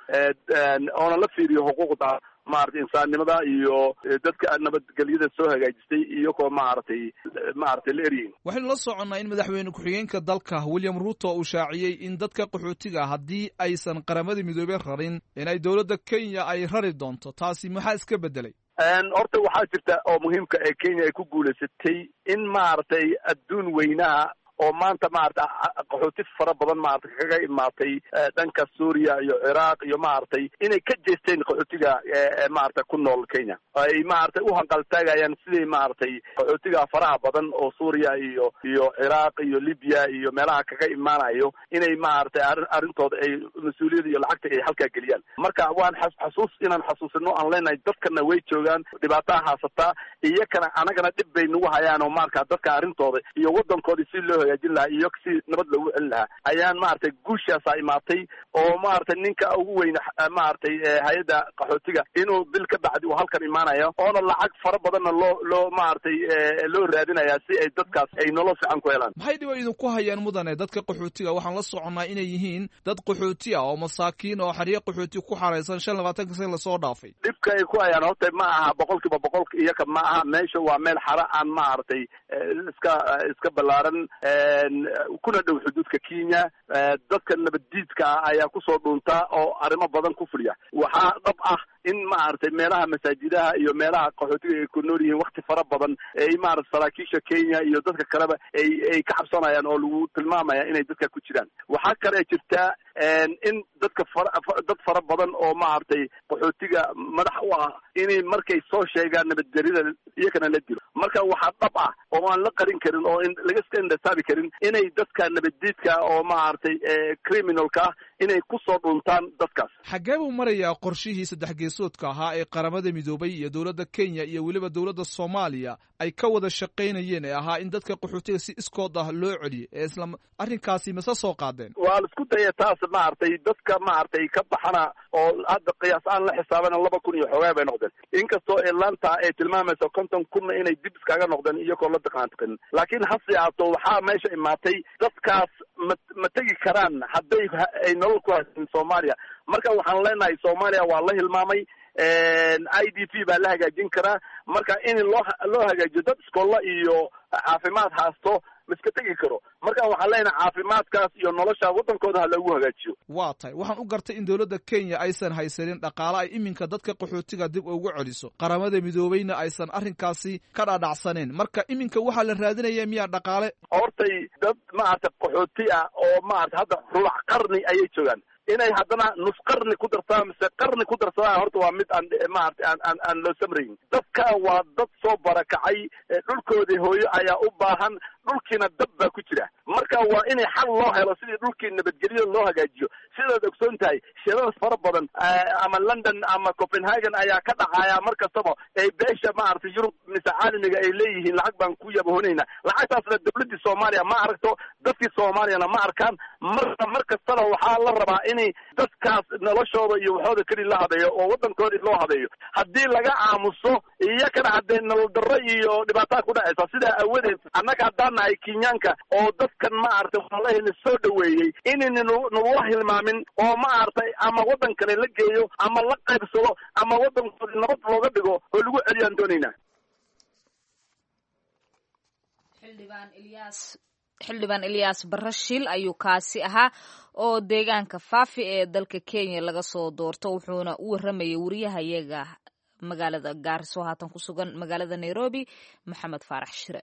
oona la fiiriyo xuquuqda, maaragtay, insaannimada iyo dadka nabadgelyada soo hagaajistay iyagoo, maaragtay, la eryeyn. Waxaynu la soconnaa in madaxweyne ku-xigeenka dalka William Ruto uu shaaciyey in dadka qaxootiga haddii aysan Qaramada Midoobey rarin inay dowladda Kenya ay rari doonto. Taasi maxaa iska beddelay? Horta waxaa jirta oo muhiimka ee Kenya ay ku guulaysatay in, maaragtay, adduun weynaha oo maanta maarata qaxooti fara badan maarata kaga imaatay dhanka Suuriya iyo Ciraaq iyo maaragtay inay ka jeesteen qaxootiga maarata ku nool Kenya, ay maaragtay u hanqaltaagayaan sidii maaragtay qaxootiga faraha badan oo Suuriya iyo Ciraaq iyo Libya iyo meelaha kaga imaanayo inay maaragtay arrintooda ay mas-uuliyada iyo lacagta ay halkaa geliyaan. Marka waan xasuus inaan xasuusino aan leenahay dadkana way joogaan, dhibaataa haysataa iyakana anagana dhib bay nagu hayaan oo marka dadka arrintooda iyo waddankoodii si loo hagaajin lahaa iyo si nabad loogu celin lahaa ayaan maaragtay guushaasaa imaatay oo maaragtay ninka ugu weyn maaragtay hay-adda qaxootiga inuu bil ka bacdi uu halkan imaanayo oona lacag fara badanna loo maaragtay loo raadinayaa si ay dadkaas ay nolol fiican ku helaan. Maxay dhiba idinku hayaan mudane dadka qaxootiga? Waxaan la soconnaa inay yihiin dad qaxooti ah oo masaakiin oo xeryo qaxooti ku xaraysan 25 sana lasoo dhaafay. Dhibka ay ku hayaan horta ma aha 100% iyaka ma aha, meesha waa meel xara aan maaragtay iska ballaaran kuna dhow xuduudka Kenya. Dadka nabaddiidka ah ayaa kusoo dhuunta oo arrimo badan ku fuliya. Waxaa dhab ah in maaragtay meelaha masaajidaha iyo meelaha qaxootiga ay ku nool yihiin wakti fara badan ay maaragtay saraakiisha Kenya iyo dadka kaleba ay ka cabsanayaan oo lagu tilmaamaya inay dadka ku jiraan. Waxaa kale jirtaa in dadka dad fara badan oo maaragtay qaxootiga madax u ah inay markay soo sheegaan nabadgelida iyakana la dilo. Marka waxaa dhab ah oo aan la qarin karin oo laga iska indhasaabi karin inay dadka nabaddiidka oo maaragtay criminalka ah inay kusoo dhuntaan dadkaas. Xaggee buu marayaa qorshihii saddex geesoodka ahaa ee Qaramada Midoobay iyo dowladda Kenya iyo weliba dowladda Soomaaliya ay ka wada shaqaynayeen ee ahaa in dadka qaxootiga si iskood ah loo celiyo ee isla arrinkaasi mase soo qaadeen? Waa la isku daya taas maaragtay dadka maaragtay ka baxana oo hadda qiyaas aan la xisaabana 2000 iyo xoogaa bay noqdeen, inkastoo ilaanta ay tilmaamayso 50,000 inay dib iskaga noqdeen iyagoo la daqaantiqin. Laakiin hase ahaato waxaa meesha imaatay dadkaas ma tegi karaan hadday ay nolol ku haysan Soomaaliya. Marka waxaan leenahay Soomaaliya waa la hilmaamay, IDP baa la hagaajin karaa. Marka in loo hagaajiyo dad iskoolla iyo caafimaad haasto ma iska tegi karo. Marka waxaan leenahay caafimaadkaas iyo nolosha waddankooda ha loogu hagaajiyo. Waa tahay, waxaan u gartay in dowladda Kenya aysan haysanin dhaqaale ay iminka dadka qaxootiga dib ugu celiso, Qaramada Midoobeyna aysan arrinkaasi ka dhadhacsaneyn. Marka iminka waxaa la raadinaya miyaa dhaqaale? Hortay dad maaragtay qaxooti ah oo maaragtay hadda rubac qarni ayay joogaan, inay haddana nus qarni ku darsadaan mise qarni ku darsadaan horta waa mid aan maaragtay aan loo samrayn. Dadka waa dad soo barakacay, dhulkoodii hooyo ayaa u baahan, dhulkiina dab baa ku jira. Marka waa inay xal loo helo sidii dhulkii nabadgelyo loo hagaajiyo. Sidaad ogsoon tahay shirada fara badan ama London ama Copenhagen ayaa ka dhacaya mar kastaba ay beesha maaragtay Yurub mise caalamiga ay leeyihiin lacag baan ku yabahoonayna. Lacagtaasna dowladdii Soomaaliya ma aragto, dadkii Soomaaliyana ma arkaan. Marka mar kastana waxaa la rabaa inay dadkaas noloshooda iyo waxooda keli la habeeyo oo waddankoodii loo habeeyo. Haddii laga aamuso iyakana haddee nolol darro iyo dhibaataa ku dhacaysa. Sidaa awadeed annaga haddaan nahay Kenyaanka oo dadkan maaragtay walahina soo dhaweeyey inayna nagula hilmaamin oo maaragtay ama waddan kale la geeyo ama la qaybsado ama waddankoodii nabad looga dhigo oo lagu celiyaan doonaynaa. Xildhibaan Ilyaas Barashiil ayuu kaasi ahaa oo deegaanka Faafi ee dalka Kenya laga soo doorto, wuxuuna u waramayay wariyahayaga magaalada Gaariso haatan ku sugan magaalada Nairobi, Maxamed Faarax Shire.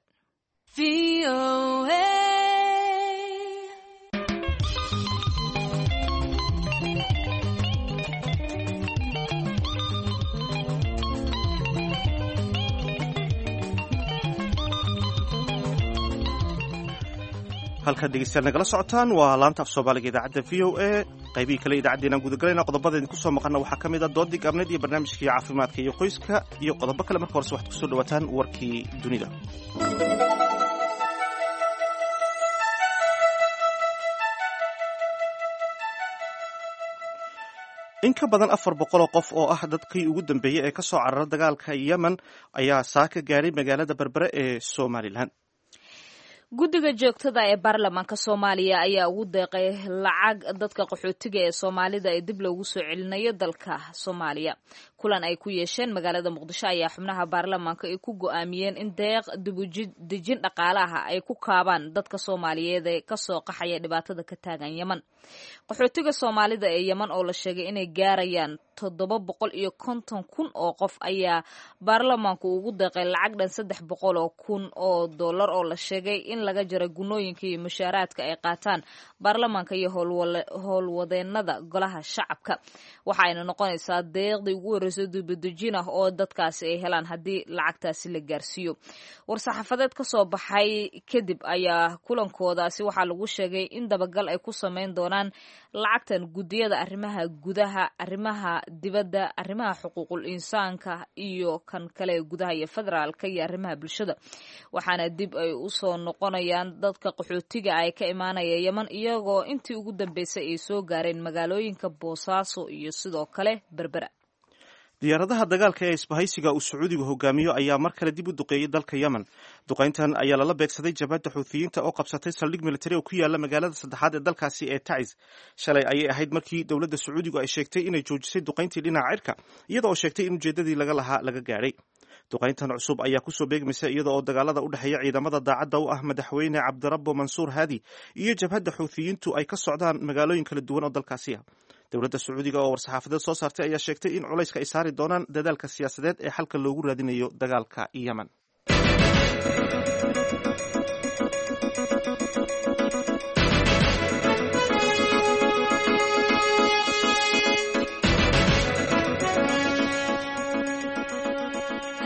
Halkaad dhegeystayaal nagala socotaan waa laanta af soomaaliga idaacadda VOA. Qaybihii kale idaacaddeenaan gudagelayna qodobada idinku soo maqana waxaa ka mid ah doodii gaabneed iyo barnaamijkii caafimaadka iyo qoyska iyo qodobo kale. Marka horese waxaad kusoo dhawaataan warkii dunida. In ka badan 400 oo qof oo ah dadkii ugu dambeeyey ee ka soo carara dagaalka Yemen ayaa saaka gaaray magaalada Berbere ee Somalilan. Guddiga joogtada ee baarlamaanka Soomaaliya ayaa ugu deeqay lacag dadka qaxootiga ee Soomaalida ee dib loogu soo celinayo dalka Soomaaliya. Kulan ay ku yeesheen magaalada Muqdisho ayaa xubnaha baarlamaanka ay ku go'aamiyeen in deeq dibudejin dhaqaalaha ay ku kaabaan dadka Soomaaliyeed ee kasoo qaxaya dhibaatada ka taagan Yeman. Qaxootiga Soomaalida ee Yeman oo la sheegay inay gaarayaan 750,000 oo qof ayaa baarlamaanku ugu deeqay lacag dhan $300,000 oo dollar oo la sheegay in laga jaray gunooyinka iyo mushaaraadka ay qaataan baarlamaanka iyo howlwadeenada golaha shacabka. Waxaayna noqonaysaa deeqdii ugu horreysay dibadejin ah oo dadkaasi ay helaan haddii lacagtaasi la gaarsiiyo. War-saxaafadeed ka soo baxay kadib ayaa kulankoodaasi waxaa lagu sheegay in dabagal ay ku sameyn doonaan lacagtan guddiyada arrimaha gudaha, arrimaha dibadda, arrimaha xuquuqul insaanka iyo kan kale gudaha iyo federaalka iyo arrimaha bulshada. Waxaana dib ay u soo noqonayaan dadka qaxootiga ay ka imaanaya Yeman, iyagoo intii ugu dambeysay ay soo gaareen magaalooyinka Boosaaso iyo sidoo kale Berbera. Diyaaradaha dagaalka ee isbahaysiga uu Sacuudigu hogaamiyo ayaa mar kale dib u duqeeyey dalka Yemen. Duqayntan ayaa lala beegsaday jabhadda Xuuthiyiinta oo qabsatay saldhig militari oo ku yaala magaalada saddexaad ee dalkaasi ee Taciz. Shalay ayay ahayd markii dowladda Sacuudigu ay sheegtay inay joojisay duqayntii dhinaca cirka, iyada oo sheegtay in ujeeddadii laga lahaa laga gaadhay. Duqayntan cusub ayaa kusoo beegmaysa iyada oo dagaalada u dhexeeya ciidamada daacadda u ah madaxweyne Cabdirabbo Mansuur Haadi iyo jabhadda Xuuthiyiintu ay ka socdaan magaalooyin kala duwan oo dalkaasi ah. Dowladda Sacuudiga oo war-saxaafadeed soo saartay ayaa sheegtay in culayska ay saari doonaan dadaalka siyaasadeed ee xalka loogu raadinayo dagaalka Yemen.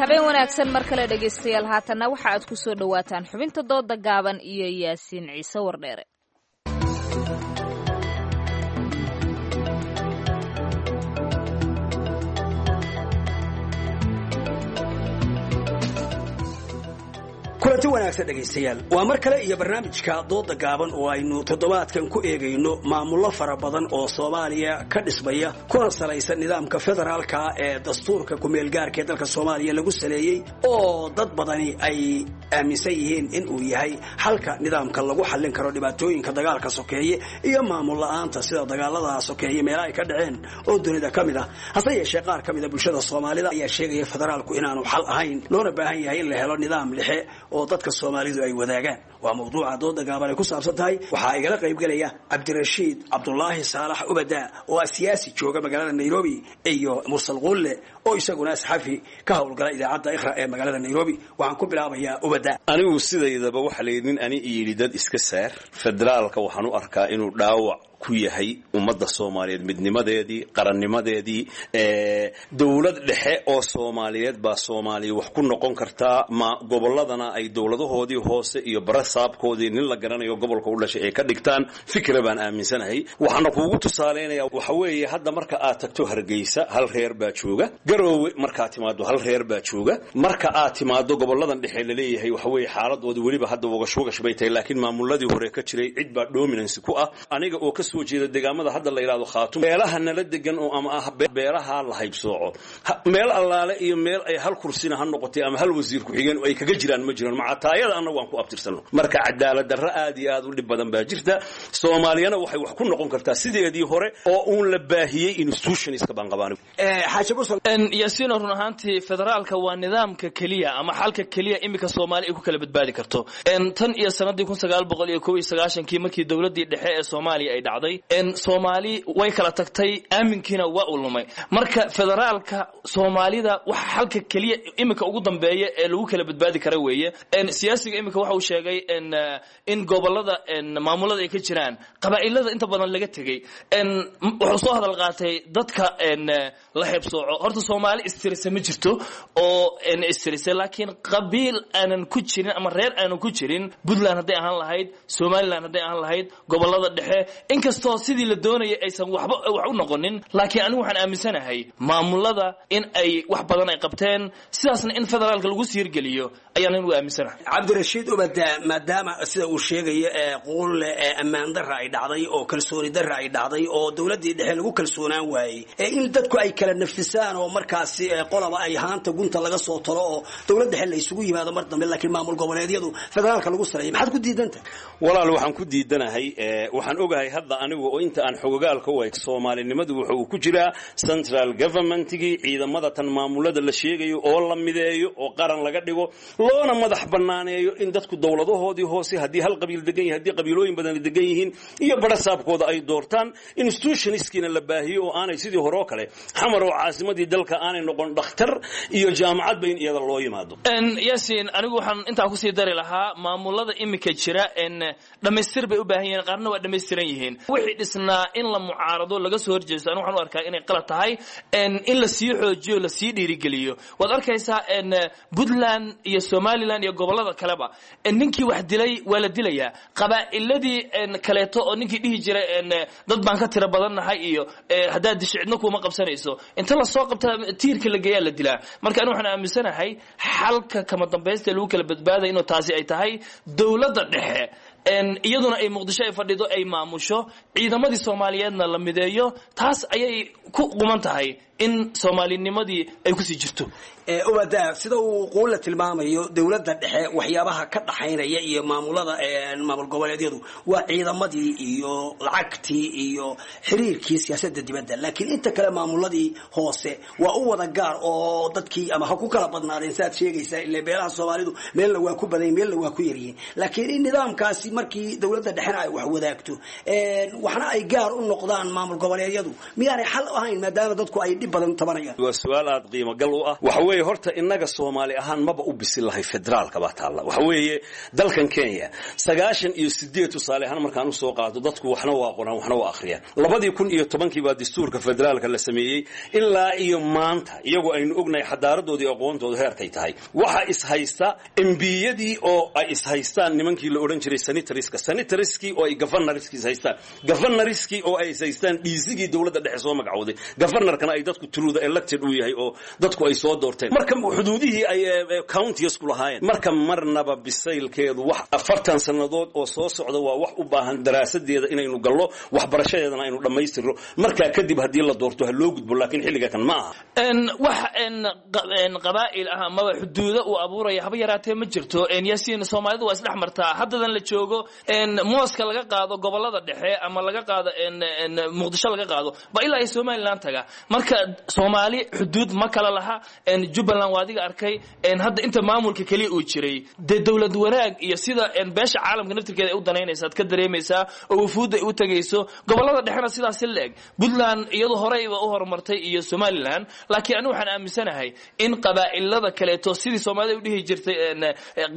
Habeen wanaagsan mar kale dhegaystayaal. Haatanna waxa aad ku soo dhowaataan xubinta dooda gaaban iyo Yaasiin Ciise Wardheere. Kulanti wanaagsan dhegaystayaal, waa mar kale iyo barnaamijka dooda gaaban oo aynu toddobaadkan ku eegayno maamullo fara badan oo Soomaaliya ka dhismaya kuna salaysan nidaamka federaalka ee dastuurka kumeelgaarka ee dalka Soomaaliya lagu saleeyey, oo dad badani ay aaminsan yihiin in uu yahay xalka nidaamka lagu xallin karo dhibaatooyinka dagaalka sokeeye iyo maamul la'aanta sida dagaalada sokeeye meelaha ay ka dhaceen oo dunida ka mid ah. Hase yeeshee qaar ka mid a bulshada Soomaalida ayaa sheegaya federaalku inaanu xal ahayn, loona baahan yahay in la helo nidaam dhexe oo dadka Soomaalidu ay wadaagaan. Waa mawduuca dooda gaaban ay ku saabsan tahay. Waxaa igala qaybgelaya Cabdirashiid Cabdulaahi Saalax Ubada oo ah siyaasi jooga magaalada Nairobi, iyo Mursal Qulle oo isaguna saxafi ka howlgala idaacadda Iqra ee magaalada Nairobi. Waxaan ku bilaabayaa Ubada. Anigu sidaydaba waxa la yidhi nin ani yidhi dad iska saar federaalka, waxaan u arkaa inuu dhaawac ku yahay ummadda Soomaaliyeed, midnimadeedii, qarannimadeedii. Dowlad dhexe oo Soomaaliyeed baa Soomaaliya wax ku noqon kartaa, ma gobolladana ay dowladahoodii hoose iyo barasaabkoodii nin la garanayo gobolka u dhashay ay ka dhigtaan fikra baan aaminsanahay. Waxaana kuugu tusaaleynayaa waxa weeye, hadda marka aad tagto Hargeysa hal reer baa jooga, Garoowe markaad timaado hal reer baa jooga, marka aad timaado goboladan dhexe laleeyahay waxa weeye xaaladooda weliba hadda wagash wagash bay tahay, laakiin maamuladii hore ka jiray cid baa dominance ku ah. Aniga oo ka soo jeeda deegaamada hadda la yidhahdo Khaatum, beelaha nala degan oo ama ah beelaha la haybsooco, meel allaale iyo meel ay hal kursina ha noqotay ama hal wasiir ku-xigeen oo ay kaga jiraan ma jiraan, macataayada annagu aan ku abtirsano. Marka cadaalad darro aad iyo aad u dhib badan baa jirta. Soomaaliyana waxay wax ku noqon kartaa sideedii hore oo uun la baahiyey institutionska baan qabaan. Yaasiino, run ahaantii federaalka waa nidaamka keliya ama xalka keliya iminka Soomaali ay ku kala badbaadi karto. Tan iyo sanadii 1991-kii markii dowladdii dhexe ee Soomaaliya ay dhacday, Soomaali way kala tagtay, aaminkiina waa uu lumay. Marka federaalka Soomaalida waxa xalka keliya iminka ugu dambeeya ee lagu kala badbaadi kara weeye. Siyaasiga iminka waxa uu sheegay in gobolada maamulada ay ka jiraan qabaa'ilada inta badan laga tegey. Wuxuu soo hadal qaatay dadka la heebsooco. Horta Soomaali istirisa ma jirto oo istirisa, laakiin qabiil aanan ku jirin ama reer aanan ku jirin, Puntland hadday ahaan lahayd, Somaliland hadday ahaan lahayd, gobolada dhexe, inkastoo sidii la doonayay aysan waxba wax u noqonin, laakiin anigu waxaan aaminsanahay maamulada in ay wax badan ay qabteen, sidaasna in federaalka lagu siirgeliyo ayaan anigu aaminsanahay. Cabdirashiid Ubada, maadaama sida uu sheegayo ee Quulle ee ammaan darra ay dhacday oo kalsooni darra ay dhacday oo dowladdii dhexe lagu kalsoonaan waayey, ee in dadku ay kala nafisaan oo markaasi qolaba ay haanta gunta laga soo talo oo dowlad dhexe la isugu yimaado mar dambe, laakiin maamul goboleedyadu federaalka lagu saleeyay, maxaad ku diidantahay? Walaal, waxaan ku diidanahay, waxaan ogahay hadda anigu oo inta aan xogogaalka u eg soomaalinimadu wuxuu ku jiraa central governmentigii, ciidamada tan maamulada la sheegayo oo la mideeyo oo qaran laga dhigo, loona madax banaaneeyo in dadku dowladahoodii hoose, haddii hal qabiil degan yahay, haddii qabiilooyin badan degan yihiin, iyo barasaabkooda ay doortaan, institutionskiina la baahiyo oo aanay sidii hore oo kale Xamar oo caasimadii dalka aanay noqon dhakhtar iyo jaamacadba in iyada loo yimaado. Yaasiin, anigu waxaan intaa kusii dari lahaa maamulada imika jira dhammaystir bay u baahan yihiin, qaarna waa dhammaystiran yihiin. Wixii dhisnaa in la mucaarado, laga soo horjeesto, anigu waxaan u arkaa inay qalad tahay. In la sii xoojiyo, la sii dhiirigeliyo. Waad arkaysaa Puntland iyo Somaliland iyo gobollada kaleba, ninkii wax dilay waa la dilayaa. Qabaa'iladii kaleeto oo ninkii dhihi jiray dad baan ka tiro badannahay iyo haddaad disho cidna kuuma qabsanayso, inta lasoo qabta tiirka la geeyaa la dilaa. Marka anigu waxaan aaminsanahay xalka kama dambaysta lagu kala badbaadaya inuu taasi ay tahay dowladda dhexe, iyaduna ay Muqdisho ay fadhido, ay maamusho, ciidamadii Soomaaliyeedna la mideeyo. Taas ayay ku quman tahay in soomaalinimadii ay kusii jirto. Ubada, sida uu Quulla tilmaamayo, dowladda dhexe waxyaabaha ka dhaxaynaya iyo maamulada maamul goboleedyadu waa ciidamadii iyo lacagtii iyo xiriirkii siyaasadda dibadda, laakiin inta kale maamuladii hoose waa u wada gaar oo dadkii ama ha ku kala badnaadeen saaad sheegaysaa, ile beelaha Soomaalidu meelna waa ku badan, meelna waa ku yaryihiin. Laakiin in nidaamkaasi markii dowladda dhexena ay wax wadaagto, waxna ay gaar u noqdaan maamul goboleedyadu, miyaanay xal ahayn maadaama dadku ay dhib badan tabanayaan? Waa su-aal aad qiimo gal u ah. Waxa weeye horta innaga Soomaali ahaan maba u bisil lahay federaalka baa taalla. Waxa weeye dalkan Kenya 98 tusaale ahaan markaan usoo qaado, dadku waxna waa qoraan, waxna waa akhriyaan. 2010-kii baa dastuurka federaalka la sameeyey. Ilaa iyo maanta iyagoo aynu ognahay xadaaradoodii, aqoontooda heerkay tahay, waxa ishaysta MP-yadii oo ay ishaystaan nimankii la odhan jiray senatorska, senatorskii oo ay governorskii ishaystaan, governorskii oo ay ishaystaan DC-gii dowladda dhexe soo magacowday, governorkana ay dadku through the elected uu yahay oo dadku ay soo doorteen, marka xuduudihii ay counties ku lahaayeen. Marka marnaba bisaylkeedu wax 40 sannadood oo soo socda waa wax u baahan daraasadeeda inaynu gallo, waxbarashadeedana aynu dhammaystirno. Markaa kadib haddii la doorto ha loo gudbo, laakiin xilliga kan ma aha. Wax qabaa'il ah amaba xuduudo uu abuuraya haba yaraatee ma jirto, Yaasiin. Soomaalidu waa isdhex martaa. Haddadan la joogo mooska laga qaado gobolada dhexe ama laga qaado Muqdisho laga qaado ba ilaa ay Somaliland taga. Marka Soomaali xuduud ma kala laha. Jubbaland waa adiga arkay hadda inta maamulka keliya uu jiray, dee dowlad wanaag iyo sida beesha caalamka naftirkeeda ay u danaynaysa aad ka dareemaysaa oo wufuudda ay u tegayso. Gobolada dhexena sidaasi la-eg, Puntland iyadu horeyba u horumartay iyo Somaliland. Laakiin anigu waxaan aaminsanahay in qabaa'ilada kaleeto sidii Soomaalida u dhihi jirtay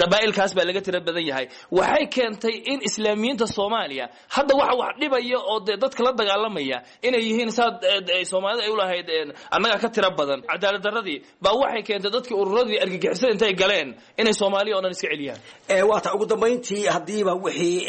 qabaa'ilkaas baa laga tira badan yahay, waxay keentay in islaamiyiinta Soomaaliya hadda waxa wax dhibaya oo dee dadka la dagaalamaya inay yihiin saad Soomaalida ay u lahayd annagaa ka tira badan. Cadaalad darradii baa waxay keentay dadkii ururadii argagixisada intay galeen inay Soomaaliya oo dhan iska celiyaan. Waata ugu dambayntii, haddiiba wixii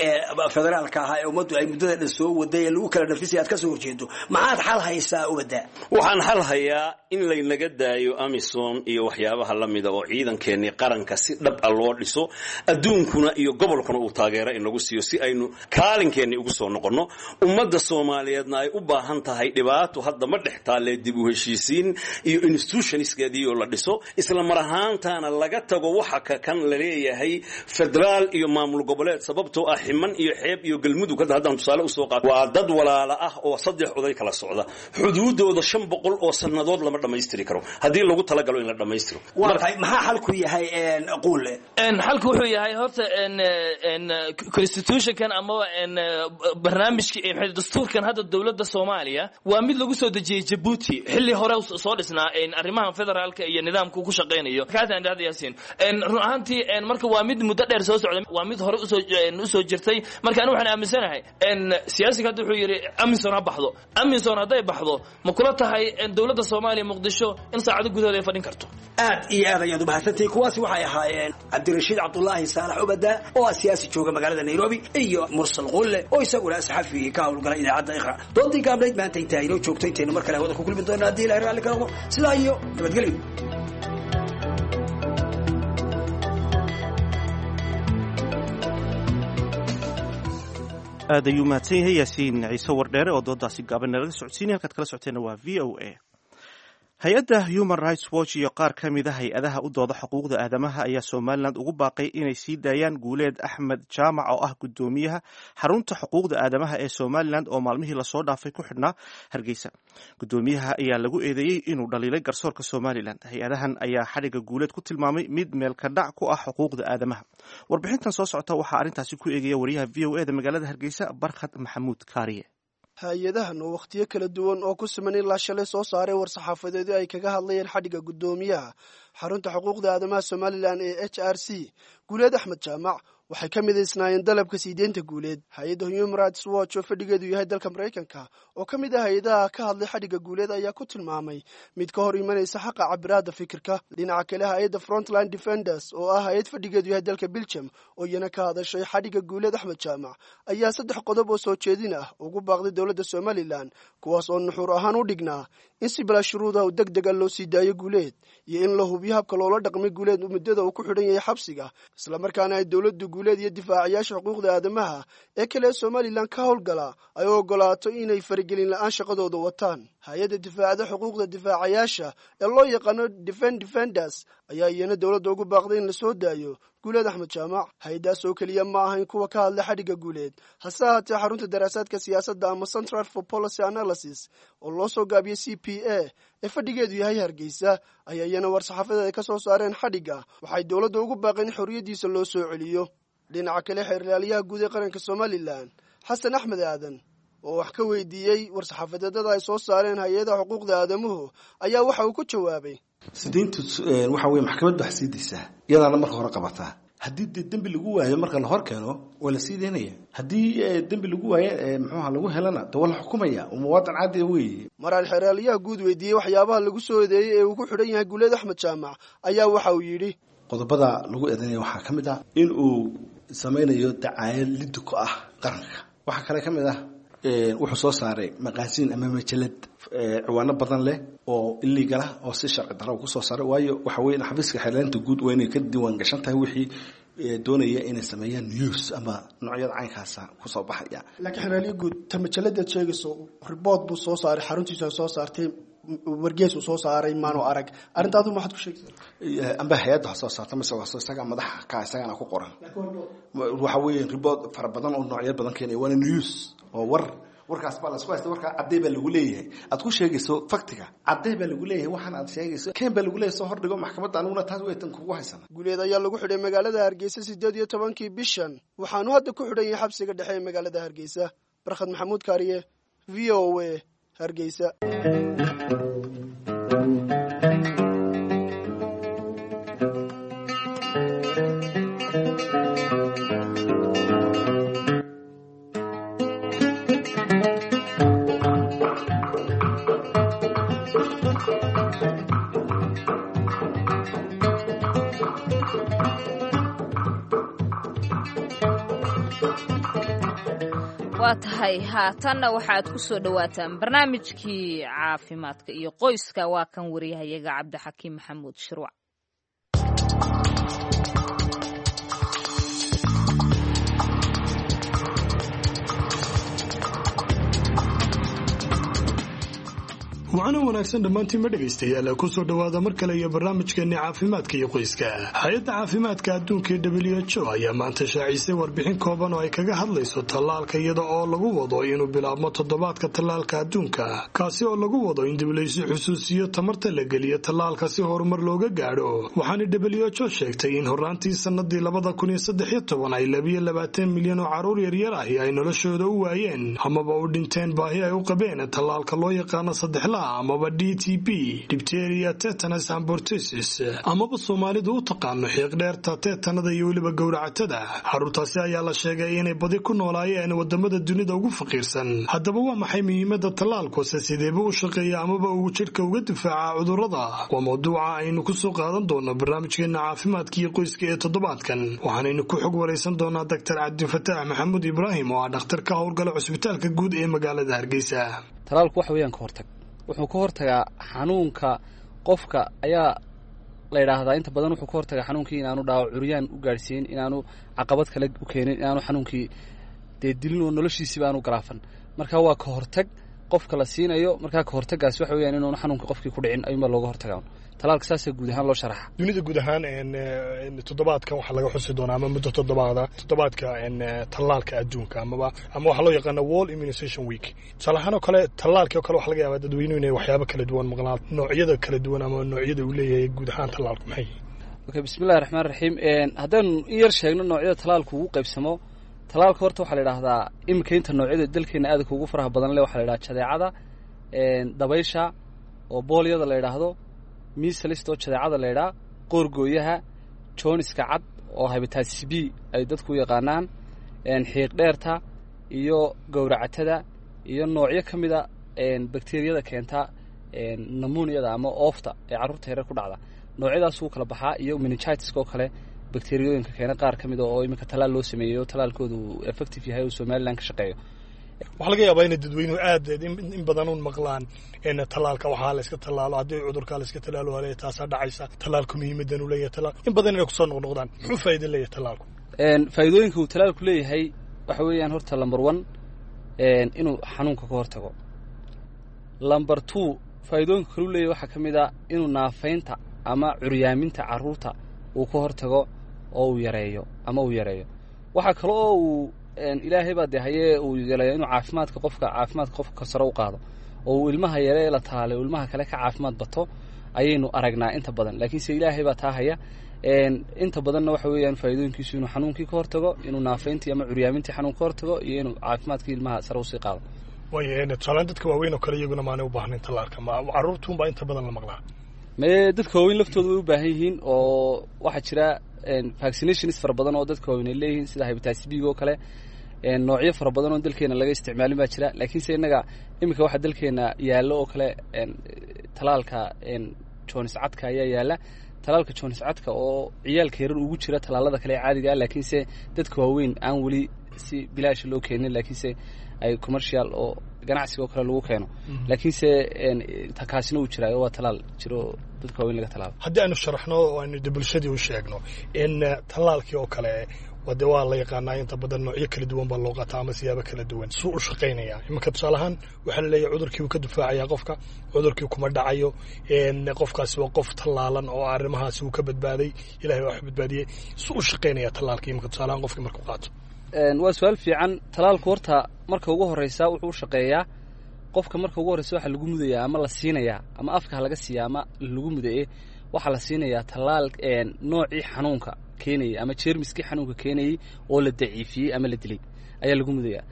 federaalka ahaa ee ummaddu ay muddada dhan soo waday ee lagu kala nafisay aad ka soo horjeedo, maxaad xal haysaa, Ubada? Waxaan xal hayaa in laynaga daayo AMISOM iyo waxyaabaha la mida oo ciidankeennii qaranka si dhab a loo dhiso, adduunkuna iyo gobolkuna uu taageero inagu siiyo si aynu kaalinkeenni ugu soo noqonno. Ummadda Soomaaliyeedna ay u baahan tahay, dhibaato hadda ma dhex taalee, dib u heshiisiin iyo institutionskeedii oo la dhiso, isla mar ahaantaana laga tago waxa ka kan la leeyahay federaal iyo maamul goboleed, sababtoo ah Ximan iyo Xeeb iyo Galmudug hadda haddaan tusaale usoo qaato waa dad walaala ah oo saddex oday kala socda. Xuduudooda 500 oo sannadood lama dhammaystiri karo haddii lagu talagalo in la dhammaystiro. Waa tahay, maxaa xalku yahay, Quulle? Xalku wuxuu yahay horta constitutionkan amaba barnaamijki dastuurkan hadda dowladda Soomaaliya waa mid lagu soo dejiyey Jabuuti xilli hore soo dhisnaa arrimahan federaalka iyo nidaamka uu ku shaqaynayo kaasaan dhahda, Yaasiin. Run ahaantii marka waa mid muddo dheer soo socday, waa mid hore usoo jirtay. Marka anigu waxaan aaminsanahay, siyaasiga hadda wuxuu yidhi AMISOM ha baxdo. AMISOM hadday baxdo, ma kula tahay dowladda Soomaaliya Muqdisho in saacado gudahood ay fadhin karto? Aad iyo aad ayaad umahadsantahay. Kuwaasi waxay ahaayeen Cabdirashiid Cabdulaahi Saalax Ubada oo ah siyaasi jooga magaalada Nairobi iyo Mursal Qulle oo isaguna saxafi ka howlgala idaacadda Iqra. Doodii gaabnayd maanta intaa inoo joogto. Intaynu mar kale hawada ku kulmi doona haddii Ilahay raalli ka noqdo, sidaa iyo nabadgelyo. Aad ayuu mahadsan yahay Yaasiin Ciise Wardheere oo doodaasi gaaban nalaga socodsiinay. Halkaad kala socoteenna waa VOA. Hay-adda Human Rights Watch iyo qaar ka mid a hay-adaha u dooda xuquuqda aadamaha ayaa Somalilan ugu baaqay inay sii daayaan Guuleed Axmed Jaamac, oo ah guddoomiyaha xarunta xuquuqda aadamaha ee Somalilan, oo maalmihii lasoo dhaafay ku xidhnaa Hargeysa. Guddoomiyaha ayaa lagu eedeeyey inuu dhaliilay garsoorka Somalilan. Hay-adahan ayaa xadhigga Guuleed ku tilmaamay mid meelka dhac ku ah xuquuqda aadamaha. Warbixintan soo socota waxaa arrintaasi ku eegaya wariyaha VOA da magaalada Hargeysa, Barkhad Maxamuud Kaariye. Hay-adahan oo wakhtiyo kala duwan oo ku siman ilaa shalay soo saaray war-saxaafadeedu ay kaga hadlayeen xadhigga guddoomiyaha xarunta xuquuqda aadamaha Somalilan ee HRC, Guuleed Axmed Jaamac, waxay ka midaysnaayeen dalabka siideynta Guuleed. Hay-adda Human Rights Watch oo fadhigeedu yahay dalka Maraykanka, oo ka mid ah hay-adaha ka hadlay xadhigga Guuleed, ayaa ku tilmaamay mid ka hor imanaysa xaqa cabiraadda fikirka. Dhinaca kale, hay-adda Frontline Defenders, oo ah hay-ad fadhigeedu yahay dalka Belgium, oo iyana ka hadashay xadhigga Guuleed Axmed Jaamac, ayaa saddex qodob oo soo jeedin ah ugu baaqday dowladda Somalilan, kuwaas oo nuxuur ahaan u dhignaa in si bilaa shuruuda u deg dega loo sii daayo Guuleed, iyo in la hubiyo habka loola dhaqmay Guuleed muddada uu ku xidhan yahay xabsiga, islamarkaana ay dowladdu Guuleed iyo difaacayaasha xuquuqda aadamaha ee kale ee Somalilan ka howlgala ay u ogolaato inay faragelin la-aan shaqadooda wataan. Hay-adda difaacda xuquuqda difaacayaasha ee loo yaqaano Defend Defenders ayaa iyana dowladda ugu baaqday in lasoo daayo Guuleed Axmed Jaamac. Hay-adaas oo keliya ma ahayn kuwa ka hadlay xadhigga Guuleed, hase ahaatee xarunta daraasaadka siyaasadda ama Central for Policy Analysis, oo loo soo gaabiyey CPA, ee fadhigeedu yahay Hargeysa, ayaa iyana war-saxaafadeed ay ka soo saareen xadhigga waxay dowladda ugu baaqeen in xorriyaddiisa loo soo celiyo. Dhinaca kale, xeerlaaliyaha guud ee qaranka Somalilan, Xasan Axmed Aadan, oo wax ka weydiiyey war-saxaafadeedada ay soo saareen hay-adaha xuquuqda aadamuhu, ayaa waxa uu ku jawaabay: Sideyntu waxa weye maxkamad baa sii daysaa, iyadaana marka hore qabataa. Haddii dee dembi lagu waayo, marka la hor keeno waa la sii daynaya. Haddii dembi lagu waayo, muxuuha lagu helana, de waa la xukumaya oo muwaadin caadi weeye. Maraal xeeraalyaha guud weydiiyey waxyaabaha lagu soo eedeeyey ee uu ku xidhan yahay Guuleed Axmed Jaamac, ayaa waxa uu yidhi: Qodobada lagu eedeynaya waxaa ka mid ah in uu samaynayo dacaayad liddi ku ah qaranka. Waxaa kale ka mid ah wuxuu soo saaray maqaasiin ama majalad ciwaano badan leh oo illegal ah oo si sharci darro ku soo saaray. Waayo, waxa weeye xafiiska xeerlaanta guud waa inay ka diiwaan gashan tahay wixii doonaya inay sameeyaan news ama noocyada caynkaasa kusoo baxaya. Laakiin xeeraalyo guud, ta majaladaad sheegayso report buu soo saaray, xaruntiisa soo saartay, wargees uu soo saaray maanu arag. Arrintaadu maxaad ku sheegaysaa? Amba hay-adda ha soo saarta mise waa isaga madaxa ka, isagana ku qoran. Waxa weeye report fara badan oo noocyo badan keenaya, waana news oo war. Warkaas baa lasku haysta. Warkaa caddey baa lagu leeyahay aad ku sheegayso, faktiga caddey baa lagu leeyahay, waxaan aad sheegayso keen baa lagu leeyahay, soo hordhigo maxkamadda. Aniguna taas waytan kugu haysana. Guuleed ayaa lagu xidhay magaalada Hargeysa 18-kii bishan, waxaanu hadda ku xidhan yahay xabsiga dhexe ee magaalada Hargeysa. Barkhad Maxamuud Kaariye, VOA, Hargeysa. Waa tahay, haatanna waxaad ku soo dhowaataan barnaamijkii caafimaadka iyo qoyska. Waa kan wariyahayaga Cabdixakiim Maxamuud Shirwac. Wacana wanaagsan dhammaantiinma dhegaystayaal, kusoo dhowaada mar kale iyo barnaamijkeenni caafimaadka iyo qoyska. Hay-adda caafimaadka adduunka ee WHO ayaa maanta shaacisay warbixin kooban oo ay kaga hadlayso tallaalka, iyada oo lagu wado inuu bilaabmo toddobaadka tallaalka adduunka, kaasi oo lagu wado in dib laysu xusuusiyo tamarta la geliyo tallaalka si horumar looga gaadho. Waxaana WHO sheegtay in horraantii sannadii 2013 ay 22 milyan oo carruur yaryar ahi ay noloshooda u waayeen amaba u dhinteen baahi ay u qabeen tallaalka loo yaqaano saddexlaha amaba DTP, diphtheria, tetanus and pertussis, amaba Soomaalidu u taqaano xiiqdheerta, teetanada iyo weliba gowracatada. Carruurtaasi ayaa la sheegay inay badi ku noolaayeen wadamada dunida ugu faqiirsan. Haddaba waa maxay muhiimada tallaalkuse? Sideeba u shaqeeya amaba uu jidhka uga difaaca cudurrada? Waa mawduuca aynu kusoo qaadan doono barnaamijkeena caafimaadka iyo qoyska ee toddobaadkan. Waxaanaynu ku xog waraysan doonaa Doctor Cabdifataax Maxamuud Ibraahim, oo ah dhakhtar ka howlgala cusbitaalka guud ee magaalada Hargeysa. Talaalku waxa weeyaan ka hortag. Wuxuu ka hortagaa xanuunka qofka ayaa la yidhaahdaa. Inta badan wuxuu ka hortagaa xanuunkii inaanu dhaawac curyaan u gaadhsiin, inaanu caqabad kale u keenin, inaanu xanuunkii dee dilin oo noloshiisiiba aanu garaafan. Marka waa ka hortag Qofka la siinayo markaa ka hortagaas waxa weeyaan inuuna xanuunka qofkii ku dhicin ayuunbaa looga hortagaa. Talaalka saasaa guud ahaan loo sharaxa. Dunida guud ahaan toddobaadkan waxaa laga xusi doonaa ama muddo toddobaada toddobaadka tallaalka adduunka amaba ama waxaa loo yaqaana World Immunization Week. Tusaale ahaan oo kale, tallaalkii oo kale waxaa laga yaabaa dadweynuhu inay waxyaabo kala duwan maqlaan, noocyada kala duwan ama noocyada uu leeyahay guud ahaan tallaalku maxay yihiin? Okay, bismillahi raxmaan raxiim. Haddaynu in yar sheegno noocyada talaalku ugu qaybsamo, talaalka horta waxaa la yidhaahdaa iminka inta noocyada dalkeena aadka ugu faraha badan leh waxaa la yidhaha jadeecada, dabaysha oo boolyada la yidhaahdo, measles oo jadeecada la yidhaha, qoorgooyaha, jooniska cad oo hepatitis B ay dadku u yaqaanaan, xiiq dheerta iyo gowracatada iyo noocyo ka mida bakteriyada keenta pneumoniada ama oofta ee carruurta yareer ku dhacda. Noocyadaas wuu kala baxaa, iyo meningitiska oo kale bakteriyooyinka keena qaar ka mid a oo iminka talaal loo sameeyey oo talaalkoodu uu effective yahay oo Somaliland ka shaqeeyo. Waxaa laga yaabaa inay dadweynuhu aad in badan un maqlaan tallaalka waxaa la iska tallaalo, haddii cudurkaa la iska tallaalo hale taasaa dhacaysa, tallaalku muhiimadan uu leeyahay, tallaal in badan inay kusoo noqnoqdaan. Muxuu faa'iido leeyahay tallaalku? Faa'iidooyinka uu talaalku leeyahay waxa weeyaan horta number one inuu xanuunka ka hortago. Number two, faa'iidooyinka kaluu leeyahay waxaa ka mid a inuu naafaynta ama curyaaminta carruurta uu ka hortago oo uu yareeyo ama uu yareeyo. Waxaa kale oo uu ilaahay baa dee hayee uu yeelayo inuu caafimaadka qofka sare u qaado oo uu ilmaha yare ee la taalay uu ilmaha kale ka caafimaad bato ayaynu aragnaa inta badan, laakiinse ilaahay baa taa haya. Inta badanna waxa weeyaan faa'iidooyinkiisu inuu xanuunkii ka hortago, inuu naafayntii ama curyaamintii xanuun ka hortago iyo inuu caafimaadkii ilmaha sare usii qaado. Waayo, tusaalaan dadka waaweyn oo kale iyaguna maanay u baahnayn tallaalka? Ma carruurtuunbaa inta badan la maqlaa? Mee, dadka waaweyn laftooda way u baahan yihiin oo waxaa jira vaccinations fara badan oo dadka waaweyn ay leeyihiin, sida hepatitis B oo kale. Noocyo fara badan oo dalkeena laga isticmaalin baa jira, laakiinse innaga iminka waxaa dalkeena yaallo oo kale talaalka jonis cadka ayaa yaalla, talaalka jonis cadka oo ciyaalka yarar ugu jira talaalada kale ee caadiga ah, laakiinse dadka waaweyn aan weli si bilaasha loo keenin, laakiinse ay commercial oo ganacsiga oo kale lagu keeno. Laakiinse kaasina uu jiraayo, waa talaal jiro oo dadka waaweyn laga talaalo. Haddii aynu sharaxno oo aynu de bulshadii u sheegno in tallaalkii oo kale de waa la yaqaanaa, inta badan noocyo kala duwan baa loo qaataa ama siyaabo kala duwan suu u shaqaynaya. Iminka tusaale ahaan waxaa la leeyahay cudurkii wuu ka difaacayaa qofka, cudurkii kuma dhacayo, qofkaasi waa qof tallaalan oo arrimahaasi wuu ka badbaaday, ilahay waa wax badbaadiyey. Suu u shaqaynaya tallaalkii iminka tusaale ahaan qofkii markuu qaato? Waa su-aal fiican. Talaalku horta marka ugu horeysa wuxuu u shaqeeyaa qofka marka ugu horreysa waxaa lagu mudayaa ama la siinayaa ama afka ha laga siiya ama lagu mudaye, waxaa la siinayaa tallaal noocii xanuunka keenayay ama jeermiskii xanuunka keenayey oo la daciifiyey ama la dilay ayaa lagu mudayaa.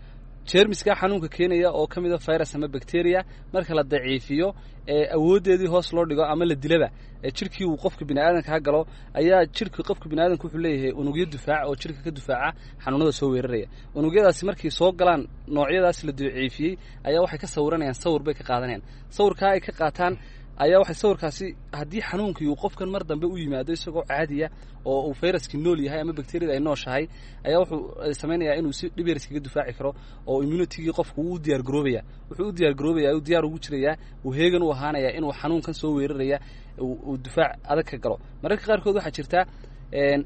Jeermiskaa xanuunka keenaya oo ka mid a virus ama bacteria, marka la daciifiyo ee awooddeedii hoos loo dhigo ama la dilaba ee jirkii uu qofka biniaadanka galo, ayaa jirka qofka biniaadanka wuxuu leeyahay unugyo difaac oo jirka ka difaaca xanuunada soo weeraraya. Unugyadaasi markay soo galaan noocyadaas la daciifiyey ayaa waxay ka sawiranayaan, sawir bay ka qaadanayaan. Sawirkaa ay ka qaataan ayaa waxay sawirkaasi haddii xanuunkii uu qofkan mar dambe u yimaado isagoo caadiya oo uu fayraskii nool yahay ama bakteriyada ay nooshahay, ayaa wuxuu samaynayaa inuu si dhib yar iskaga difaaci karo oo immunitygii qofku wuu u diyaar garoobaya, wuxuu u diyaar garoobaya, uu diyaar ugu jirayaa, uu heegan u ahaanaya inuu xanuunkan soo weeraraya uu difaac adag ka galo. Mararka qaarkood waxaa jirta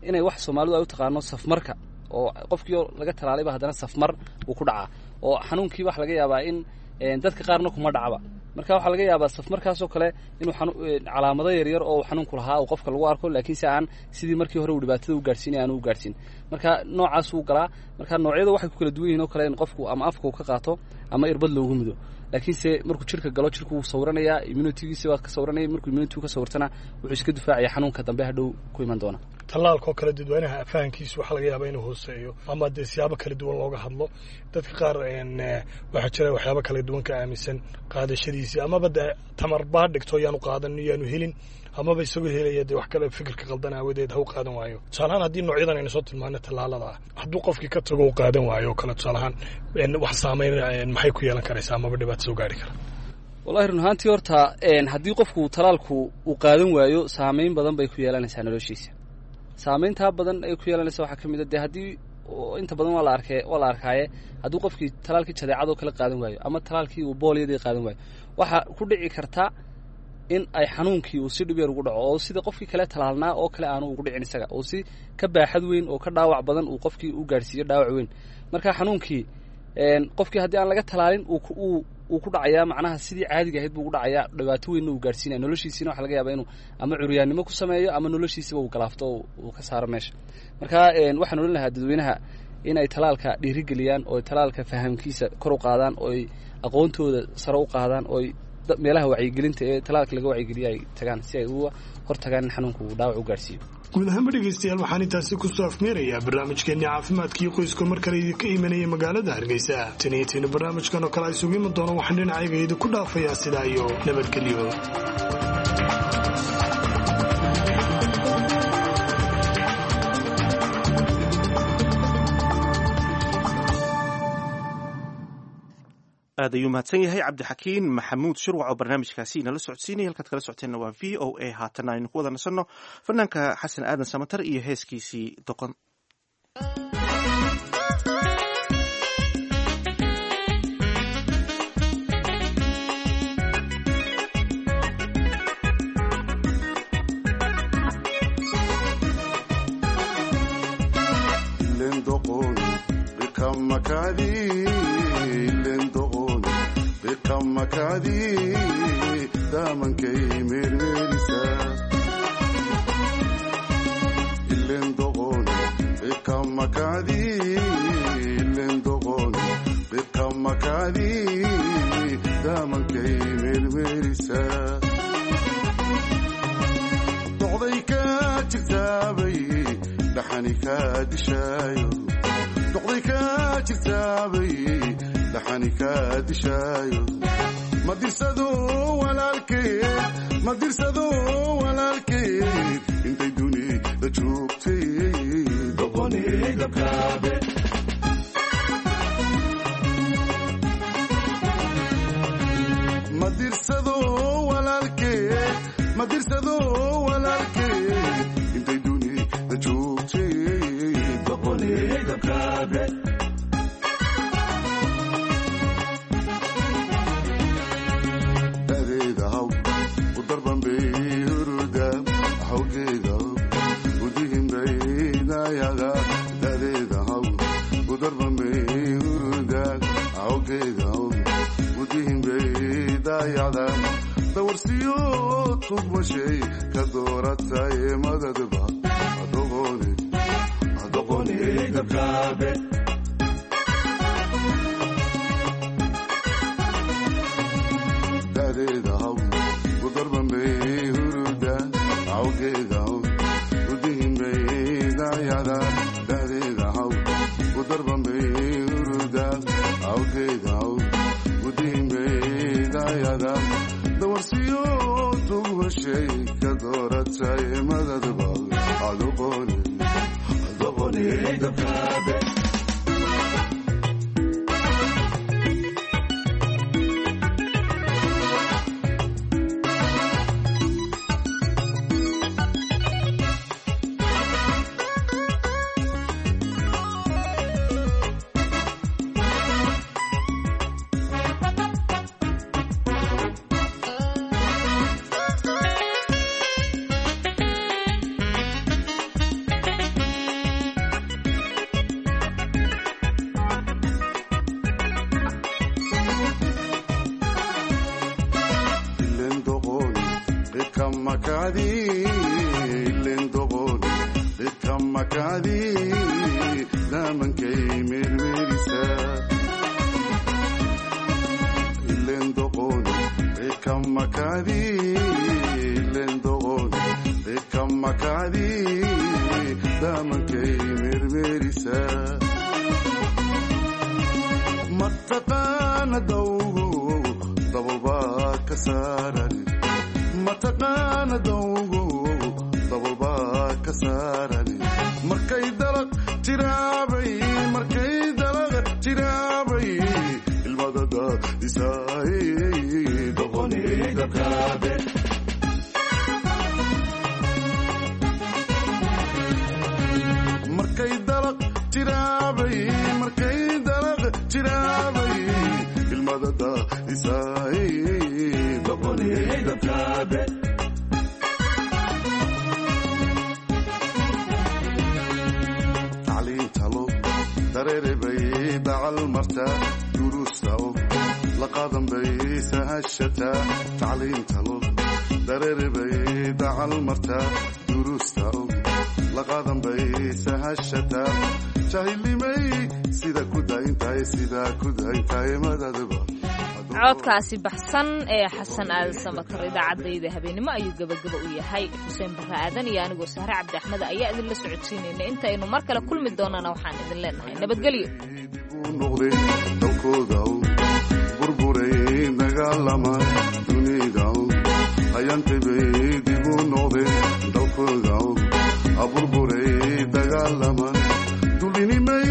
inay wax Soomaalidu ay u taqaano safmarka oo qofkii laga talaalayba haddana safmar uu ku dhacaa oo xanuunkii waxa laga yaabaa in dadka qaarna kuma dhacba. Marka waxaa laga yaabaa safmarkaasoo kale inuu calaamado yaryar oo xanuunku lahaa uu qofka lagu arko, laakiinse aan sidii markii hore uu dhibaatada u gaadhsiinay aanu u gaadhsiin. Marka noocaas wuu galaa. Marka noocyada waxay ku kala duwan yihiin oo kale in qofku ama afka uu ka qaato ama irbad loogu mudo, laakiinse markuu jirka galo jirku wuu sawiranayaa, immunitygiisa waa ka sawiranaya. Markuu immunity ka sawirtana wuxuu iska difaacaya xanuunka dambe hadhow ku iman doona. Tallaalka oo kale dadweynaha fahankiisu waxaa laga yaabaa inuu hooseeyo ama dee siyaabo kala duwan looga hadlo. Dadka qaar waxaa jira waxyaabo kala duwan ka aaminsan qaadashadiisii amaba dee tamar baa dhigto yaanu qaadan yaanu helin amaba isagoo helaya dee wax kale fikirka qaldan aawadeed ha u qaadan waayo. Tusaalahaan haddii noocyadan aynu soo tilmaano tallaalada ah hadduu qofkii ka tago u qaadan waayo oo kale, tusaalahaan wax saameyn maxay ku yeelan karaysaa amaba dhibaato soo gaari kara? Wallahi run ahaantii horta haddii qofku talaalku uu qaadan waayo saameyn badan bay ku yeelanaysaa noloshiisa. Saameyntaa badan ay ku yeelanaysa waxaa ka mid a dee haddii inta badan waa la arkee, waa la arkaaye, hadduu qofkii talaalkii jadeecadoo kale qaadan waayo ama talaalkii uu booliyadii qaadan waayo, waxaa ku dhici karta in ay xanuunkii uu si dhib yar ugu dhaco oo sida qofkii kale talaalnaa oo kale aanu ugu dhicin isaga oo si ka baaxad weyn oo ka dhaawac badan uu qofkii u gaadhsiiyo dhaawac weyn. Marka xanuunkii qofkii haddii aan laga talaalin uu Wuu ku dhacayaa, macnaha sidii caadiga ahayd buu ugu dhacayaa. Dhibaato weynna uu gaadhsiinaya noloshiisiina. Waxa laga yaabaa inuu ama curyaannimo ku sameeyo ama noloshiisiba uu galaafto oo uu ka saaro meesha. Marka waxaan odhan lahaa dadweynaha inay talaalka dhiirigeliyaan oo talaalka fahamkiisa kor u qaadaan, oo ay aqoontooda sare u qaadaan, oo ay meelaha wacyigelinta ee talaalka laga wacyigeliya ay tagaan, si ay uga hor tagaan in xanuunka uu dhaawac u gaadhsiiyo. Guud ahaanba dhegaystayaal, waxaan intaasi kusoo afmeerayaa barnaamijkeenii caafimaadkii qoyska, mar kale idinka imanaya magaalada Hargeysa. Tan iyo taynu barnaamijkan oo kale ay isugu iman doono, waxaan dhinacayga idinku dhaafayaa sidaa iyo nabadgelyo. Aad ayuu mahadsan yahay Cabdixakiin Maxamuud Shirwac oo barnaamijkaasi inala socodsiinaya. Halkaad kala socoteenna waa VOA. Haatana aynu ku wada nasanno fanaanka Xasan Aadan Samatar iyo heeskiisii Doqon. Doqday ka jirtaabay dhaxani ka dishaayo, doqday ka jirtaabay dhaxani ka dishaayo. Ma dirsado walaalkeed, ma dirsado walaalkeed, intay dunida joogtay doqonigabkaabe. Ma dirsado walaalkeed, ma dirsado walaalkeed, intay dunida joogtay doqonigabkaabe. Dadeeda haw u darban bay huruda hawgeeda udihin bay dayaga. Dadeeda haw u darban bay huruda hawgeeda udihin bay dayada. Dawarsiyo tugmashay ka dooratay madadba adoqoni adoqoni gabkaabe. Dadeeda haw u darban bay huruda hawgeeda udihin bay dayada. Dadeeda haw u darban bay huruda hawgeeda udihin bay dayada. Dawarsiyo tugmashay ka dooratay madadba adoqoni adoqoni gabkaabe. Ilen doqon qidkamakadi, ilen doqon qidkamakadi, damankay mermerisa. Ilen doqon qidkamakadi, ilen doqon qidkamakadi, damankay mermerisa. Mataqaana dawgo dabalbaa ka saaran, mataqaana dawgo dabalbaa ka saaran. Markay dalaq tiraabay, markay dalaq tiraabay, ilmadada isaay doqonigabkaabe. Markay dalaq tiraabay, markay dalaq tiraabay, ilmadada isaay doqonigabkaabe. Tacliintalo dareere bay dacal martaa duruusta og la Laqadan bay sahashataa tacliinta loo dareere bay dacal martaa duruusta og laqadan bay sahashataa jahilnimay sida ku dayntahay sidaa ku dayntahay madadba. Codkaasi baxsan ee Xasan Aadan Samatar idaacadayda habeenimo ayuu gebagaba u yahay. Xuseen Barre Aadan iyo anigoo Sahre Cabdi Axmed ayaa idinla socodsiinayna. Intaynu mar kale kulmi doonana waxaan idin leenahay nabadgelyo. Noqday dalkooda u burburay dagaalama dunida u ayantay bay dib u noqdeen dalkooda u burburay dagaalama dulinimay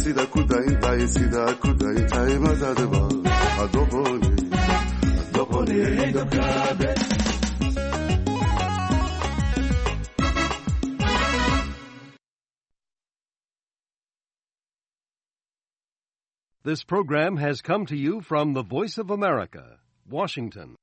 sida ku dayntahay sidaa ku dayntahay madadba adoboni adoboni dabkaabe. This program has come to you from the Voice of America, Washington.